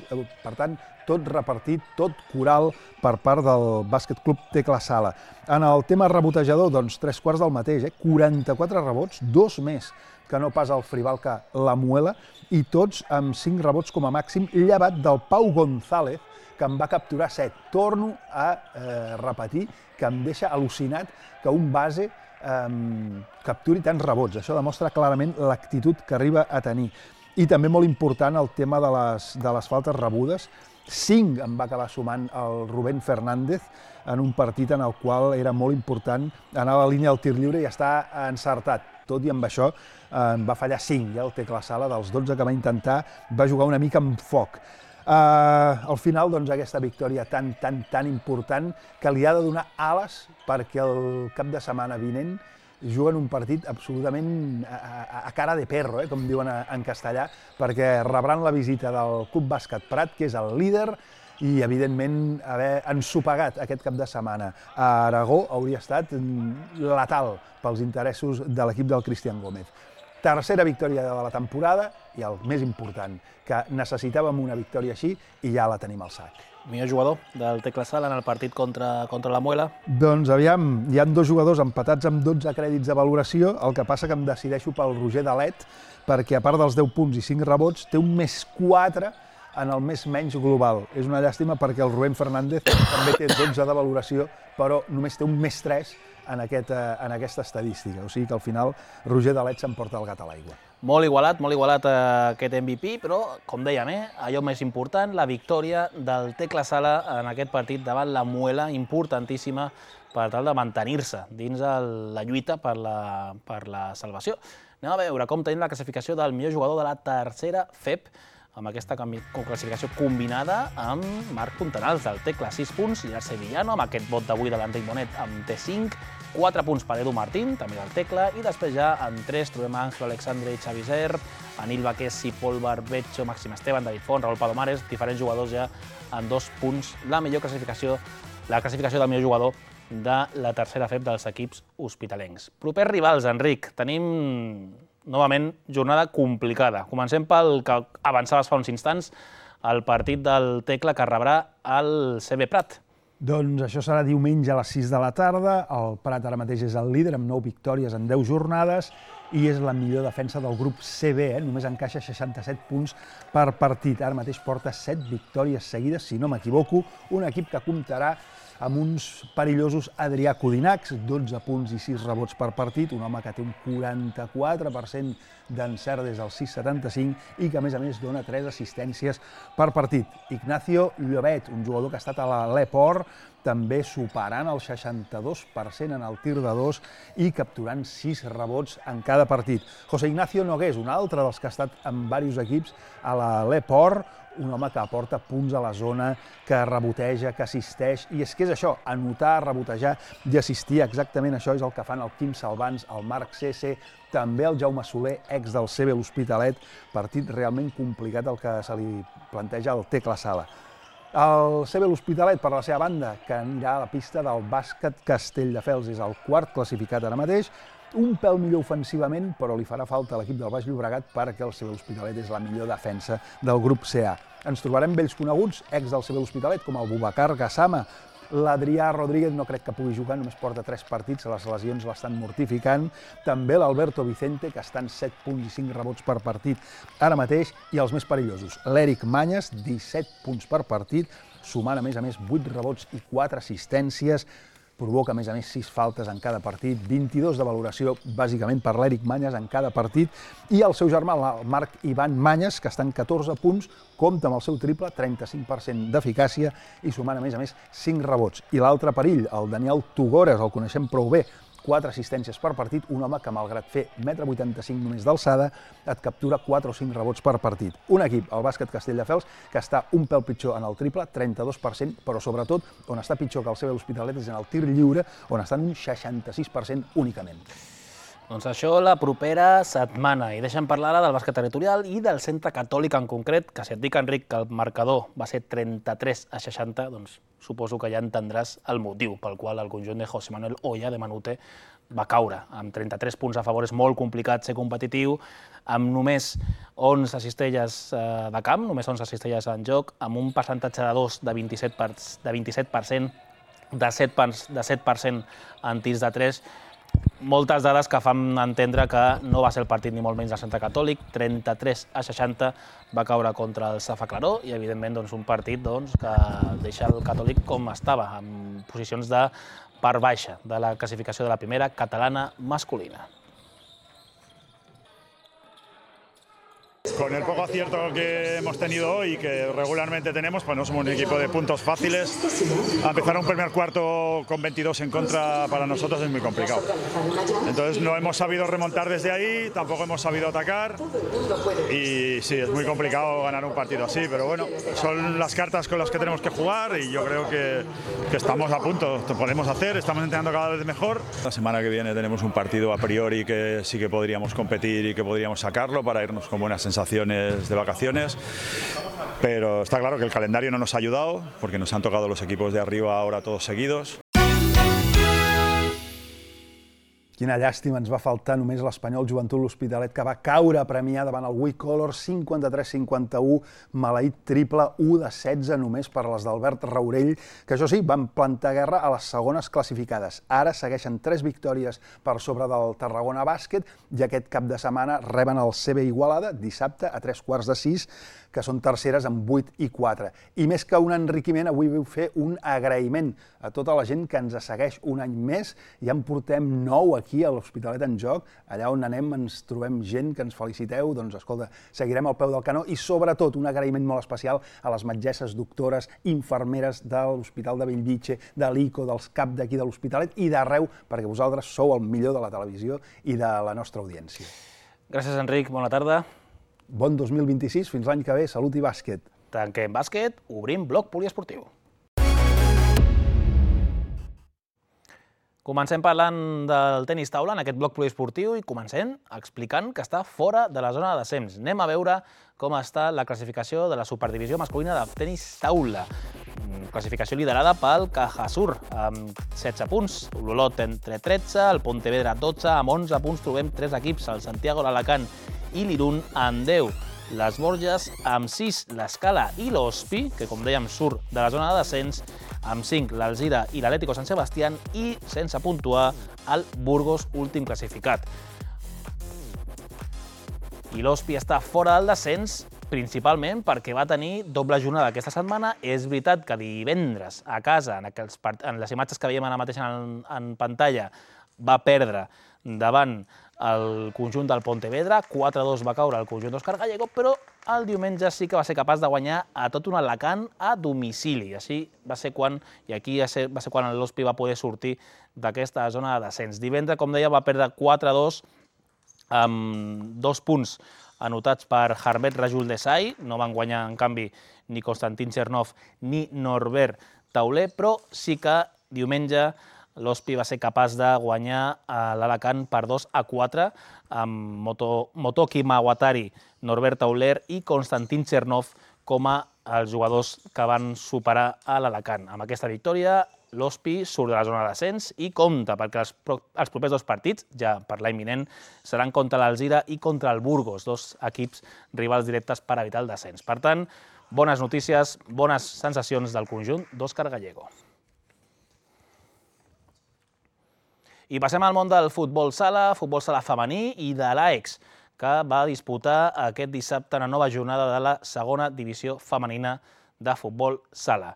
per tant, tot repartit, tot coral per part del Bàsquet Club Tecla Sala. En el tema rebotejador, doncs 3/4 del mateix, 44 rebots, 2 més que no pas el Frivalca La Muela, i tots amb 5 rebots com a màxim, llevat del Pau González, que en va capturar 7. Torno a repetir que em deixa al·lucinat que un base capturi tants rebots. Això demostra clarament l'actitud que arriba a tenir. I també molt important el tema de les faltes rebudes. 5 en va acabar sumant el Rubén Fernández en un partit en el qual era molt important anar a la línia del tir lliure i estar encertat. Tot i amb això en va fallar 5, ja el Tecla Sala, dels 12 que va intentar, va jugar una mica amb foc. Al final, doncs, aquesta victòria tan important que li ha de donar ales perquè el cap de setmana vinent juguen un partit absolutament a cara de perro, com diuen en castellà, perquè rebran la visita del Club Bàsquet Prat, que és el líder, i evidentment haver ensopegat aquest cap de setmana a Aragó hauria estat letal pels interessos de l'equip del Cristian Gómez. Tercera victòria de la temporada i el més important, que necessitàvem una victòria així i ja la tenim al sac. Millor jugador del Tecla Sala en el partit contra la Muela? Doncs aviam, hi ha 2 jugadors empatats amb 12 crèdits de valoració, el que passa que em decideixo pel Roger Dalet, perquè a part dels 10 punts i 5 rebots, té un més 4 en el més menys global. És una llàstima perquè el Rubén Fernández també té 12 de valoració, però només té un més 3 en aquesta estadística. O sigui que al final Roger Dalet s'emporta el gat a l'aigua. Molt igualat aquest MVP, però, com dèiem, allò més important, la victòria del Tecla Sala en aquest partit davant la Muela, importantíssima per tal de mantenir-se dins la lluita per la salvació. Anem a veure com tenim la classificació del millor jugador de la tercera FEP, amb aquesta classificació combinada amb Marc Fontanals del Tecla, 6 punts, Gerard Sevillano, amb aquest vot d'avui de l'Enric Bonet, amb T5, 4 punts per Edu Martín, també del Tecla, i després ja en 3 trobem Ángel Alexandre i Xavi Zer, Anil Baquesi, Pol Barbecho, Màxim Esteban, David Font, Raúl Palomares, diferents jugadors ja en 2 punts. La classificació del millor jugador de la tercera FEP dels equips hospitalencs. Propers rivals, Enric, tenim novament jornada complicada. Comencem pel que avançaves fa uns instants, el partit del Tecla que rebrà el CB Prat. Doncs això serà diumenge a les 6 de la tarda. El Prat ara mateix és el líder amb 9 victòries en 10 jornades i és la millor defensa del grup CB, només encaixa 67 punts per partit. Ara mateix porta 7 victòries seguides, si no m'equivoco, un equip que comptarà amb uns perillosos Adrià Codinacs, 12 punts i 6 rebots per partit, un home que té un 44% d'encert des del 6,75 i que, a més, dona 3 assistències per partit. Ignacio Llobet, un jugador que ha estat a l'Eport, també superant el 62% en el tir de 2 i capturant 6 rebots en cada partit. José Ignacio Nogués, un altre dels que ha estat en diversos equips a l'Eport, un home que aporta punts a la zona, que reboteja, que assisteix, i és que és això, anotar, rebotejar i assistir, exactament això és el que fan el Quim Salvans, el Marc Cese, també el Jaume Soler, ex del CB L'Hospitalet, partit realment complicat el que se li planteja al Tecla Sala. El CB L'Hospitalet, per la seva banda, que anirà a la pista del Bàsquet Castelldefels, és el quart classificat ara mateix, un pèl millor ofensivament, però li farà falta a l'equip del Baix Llobregat perquè el CB L'Hospitalet és la millor defensa del grup CA. Ens trobarem vells coneguts, ex del CB L'Hospitalet, com el Boubacar Gassama. L'Adrià Rodríguez no crec que pugui jugar, només porta 3 partits, les lesions l'estan mortificant. També l'Alberto Vicente, que està en 7 punts i 5 rebots per partit ara mateix, i els més perillosos, l'Eric Manyes, 17 punts per partit, sumant a més 8 rebots i 4 assistències. provoca a més 6 faltes en cada partit, 22 de valoració bàsicament per l'Eric Manyes en cada partit, i el seu germà, el Marc Ivan Manyes, que està en 14 punts, compta amb el seu triple, 35% d'eficàcia i sumant a més 5 rebots. I l'altre perill, el Daniel Tugores, el coneixem prou bé, 4 assistències per partit, un home que, malgrat fer 1,85 m només d'alçada, et captura 4 o 5 rebots per partit. Un equip, el Bàsquet Castelldefels, que està un pèl pitjor en el triple, 32%, però sobretot on està pitjor que el CB L'Hospitalet és en el tir lliure, on està en un 66% únicament. Doncs això la propera setmana. I deixa'm parlar ara del bàsquet territorial i del Centre Catòlic en concret, que si et dic, Enric, que el marcador va ser 33-60, doncs suposo que ja entendràs el motiu pel qual el conjunt de José Manuel Oya de Manute va caure. Amb 33 punts a favor és molt complicat ser competitiu, amb només 11 cistelles de camp, només 11 cistelles en joc, amb un percentatge de 2 de 27%, de 7% en tirs de 3, moltes dades que fan entendre que no va ser el partit ni molt menys del Centre Catòlic. 33-60 va caure contra el Safa Claró i, evidentment, un partit que deixa el Catòlic com estava, en posicions de part baixa de la classificació de la primera catalana masculina. Con el poco acierto que hemos tenido hoy y que regularmente tenemos, pues no somos un equipo de puntos fáciles. Empezar un primer cuarto con 22 en contra para nosotros es muy complicado. Entonces no hemos sabido remontar desde ahí, tampoco hemos sabido atacar y sí, es muy complicado ganar un partido así, pero bueno, son las cartas con las que tenemos que jugar y yo creo que estamos a punto, lo podemos hacer, estamos entrenando cada vez mejor. La semana que viene tenemos un partido a priori que sí que podríamos competir y que podríamos sacarlo para irnos con buenas sensaciones de vacaciones, pero está claro que el calendario no nos ha ayudado porque nos han tocado los equipos de arriba ahora todos seguidos. Quina llàstima, ens va faltar només l'Espanyol Joventut L'Hospitalet, que va caure a Premià davant el Wicolor 53-51, maleït triple, 1-16 només per les d'Albert Raurell, que això sí, van plantar guerra a les segones classificades. Ara segueixen 3 victòries per sobre del Tarragona Bàsquet i aquest cap de setmana reben el CB Igualada, dissabte a 3:45, que són terceres amb 8 i 4. I més que un enriquiment, avui vull fer un agraïment a tota la gent que ens segueix un any més. Ja en portem 9 aquí a l'Hospitalet en Joc. Allà on anem ens trobem gent que ens feliciteu. Doncs escolta, seguirem al peu del canó i sobretot un agraïment molt especial a les metgesses, doctores, infermeres de l'Hospital de Bellvitge, de l'ICO, dels CAP d'aquí de l'Hospitalet i d'arreu, perquè vosaltres sou el millor de la televisió i de la nostra audiència. Gràcies, Enric. Bona tarda. Bon 2026, fins l'any que ve, salut i bàsquet. Tanquem bàsquet, obrim bloc poliesportiu. Comencem parlant del tenis taula en aquest bloc poliesportiu i comencem explicant que està fora de la zona de descens. Anem a veure com està la classificació de la superdivisió masculina de tenis taula. Classificació liderada pel Cajasur, amb 16 punts, l'Olot entre 13, el Pontevedra 12, amb 11 punts trobem 3 equips, el Santiago, l'Alacant i l'Irun amb 10. Les Borges amb 6, l'Escala i l'Hospi, que com dèiem surt de la zona de descens, amb 5 l'Alzira i l'Atlético Sant Sebastián i, sense puntuar, el Burgos, últim classificat. I l'Hospi està fora del descens principalment perquè va tenir doble jornada aquesta setmana. És veritat que divendres a casa, en les imatges que veiem ara mateix en pantalla, va perdre davant el conjunt del Pontevedra, 4-2 va caure el conjunt d'Òscar Gallego, però el diumenge sí que va ser capaç de guanyar a tot un Alacant a domicili. Així va ser quan, i aquí va ser quan l'Hospi va poder sortir d'aquesta zona de descens. Divendres, com deia, va perdre 4-2 amb 2 punts anotats per Harmet Rajul Desai. No van guanyar, en canvi, ni Konstantin Chernov ni Norbert Tauler, però sí que diumenge l'Hospi va ser capaç de guanyar l'Alacant per 2-4 amb Motoki Mawatari, Norbert Tauler i Konstantin Chernov com a els jugadors que van superar a l'Alacant. Amb aquesta victòria, l'Hospi surt de la zona de descens i compta, perquè els propers 2 partits, ja per l'any vinent, seran contra l'Alzira i contra el Burgos, 2 equips rivals directes per evitar el descens. Per tant, bones notícies, bones sensacions del conjunt d'Òscar Gallego. I passem al món del futbol sala femení i de l'AEX, que va disputar aquest dissabte una nova jornada de la segona divisió femenina de futbol sala.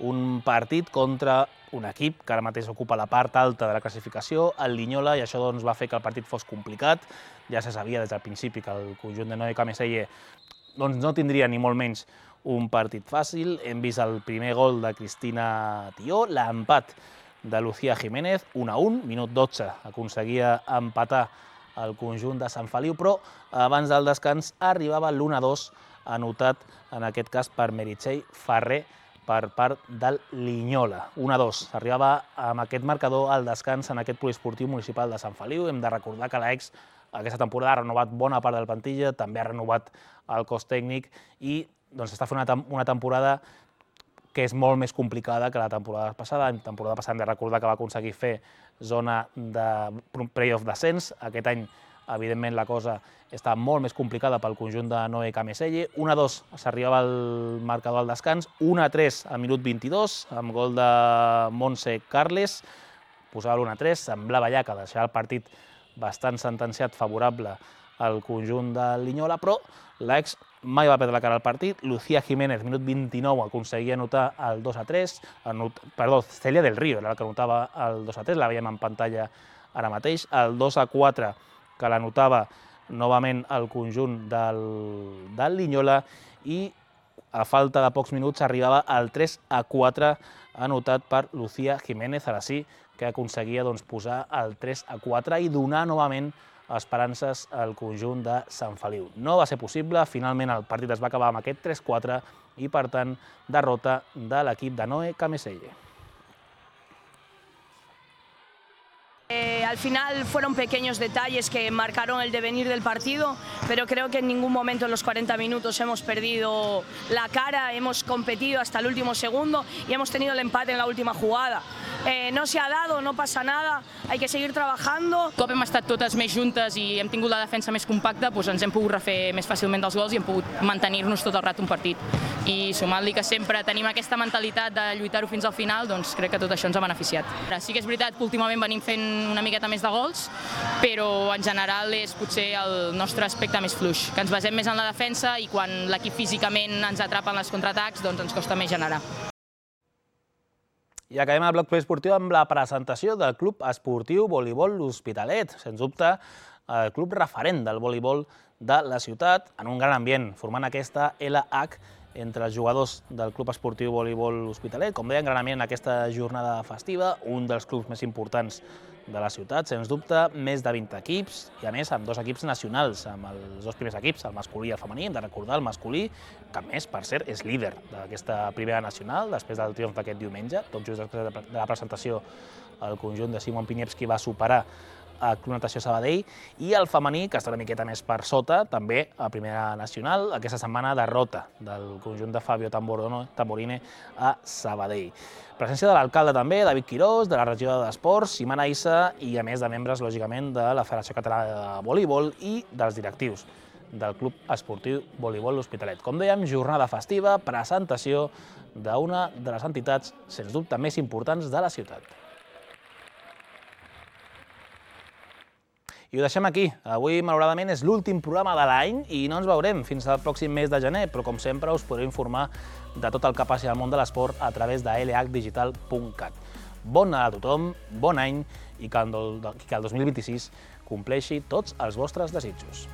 un partit contra un equip que ara mateix ocupa la part alta de la classificació, el Linyola, i això va fer que el partit fos complicat. Ja se sabia des del principi que el conjunt de Noé Cameselle no tindria ni molt menys un partit fàcil. Hem vist el primer gol de Cristina Tió, l'empat de Lucía Jiménez, 1-1, minut 12, aconseguia empatar el conjunt de Sant Feliu, però abans del descans arribava l'1-2, anotat en aquest cas per Meritxell Ferrer per part del Linyola. 1-2, arribava amb aquest marcador al descans en aquest poliesportiu municipal de Sant Feliu. Hem de recordar que l'Aix aquesta temporada ha renovat bona part de la plantilla, també ha renovat el cos tècnic i està fent una temporada que és molt més complicada que la temporada passada. La temporada passada hem de recordar que va aconseguir fer zona de playoff descens. Aquest any, evidentment, la cosa està molt més complicada pel conjunt de Noé Cameselle. 1-2 s'arribava al marcador al descans, 1-3 al minut 22, amb gol de Montse Carles. Posava l'1-3, semblava ja que deixava el partit bastant sentenciat favorable al conjunt de Linyola, però l'Aix mai va perdre la cara al partit. Lucía Jiménez, minut 29, aconseguia anotar el 2-3. Perdó, Celia del Río era la que anotava el 2-3, la veiem en pantalla ara mateix. El 2-4, que l'anotava novament el conjunt del Linyola, i a falta de pocs minuts arribava al 3-4, anotat per Lucía Jiménez, ara sí, que aconseguia posar el 3-4 i donar novament esperances al conjunt de Sant Feliu. No va ser possible, finalment el partit es va acabar amb aquest 3-4 i, per tant, derrota de l'equip de Noé Cameselle. Al final fueron pequeños detalles que marcaron el devenir del partido, pero creo que en ningún momento en los 40 minutos hemos perdido la cara, hemos competido hasta el último segundo y hemos tenido el empate en la última jugada. No se ha dado, no pasa nada, hay que seguir trabajando. Un cop hem estat totes més juntes i hem tingut la defensa més compacta, ens hem pogut refer més fàcilment dels gols i hem pogut mantenir-nos tot el rato un partit. I sumant-li que sempre tenim aquesta mentalitat de lluitar-ho fins al final, doncs crec que tot això ens ha beneficiat. Sí que és veritat que últimament venim fent una miqueta més de gols, però en general és potser el nostre aspecte més fluix, que ens basem més en la defensa i quan l'equip físicament ens atrapa en els contraatacs, doncs ens costa més generar. I acabem el bloc poliesportiu amb la presentació del Club Esportiu Voleibol L'Hospitalet. Sens dubte, el club referent del voleibol de la ciutat, en un gran ambient, formant aquesta LH entre els jugadors del Club Esportiu Voleibol L'Hospitalet. Com deien, gran ambient en aquesta jornada festiva, un dels clubs més importants de la ciutat, sens dubte, més de 20 equips, i a més amb 2 equips nacionals, amb els 2 primers equips, el masculí i el femení. Hem de recordar el masculí, que a més, per cert, és líder d'aquesta primera nacional, després del triomf d'aquest diumenge. Tot just després de la presentació, el conjunt de Simon Piniewski va superar a Club Natació Sabadell, i el femení, que està una miqueta més per sota, també a primera nacional, aquesta setmana derrota del conjunt de Fabio Tamborine a Sabadell. Presència de l'alcalde també, David Quirós, de la regidora d'Esports, Simana Issa, i a més de membres, lògicament, de la Federació Catalana de Voleibol i dels directius del Club Esportiu Voleibol L'Hospitalet. Com dèiem, jornada festiva, presentació d'una de les entitats, sens dubte, més importants de la ciutat. I ho deixem aquí. Avui, malauradament, és l'últim programa de l'any i no ens veurem fins al pròxim mes de gener, però, com sempre, us podreu informar de tot el que passi al món de l'esport a través de lhdigital.cat. Bon Nadal a tothom, bon any i que el 2026 compleixi tots els vostres desitjos.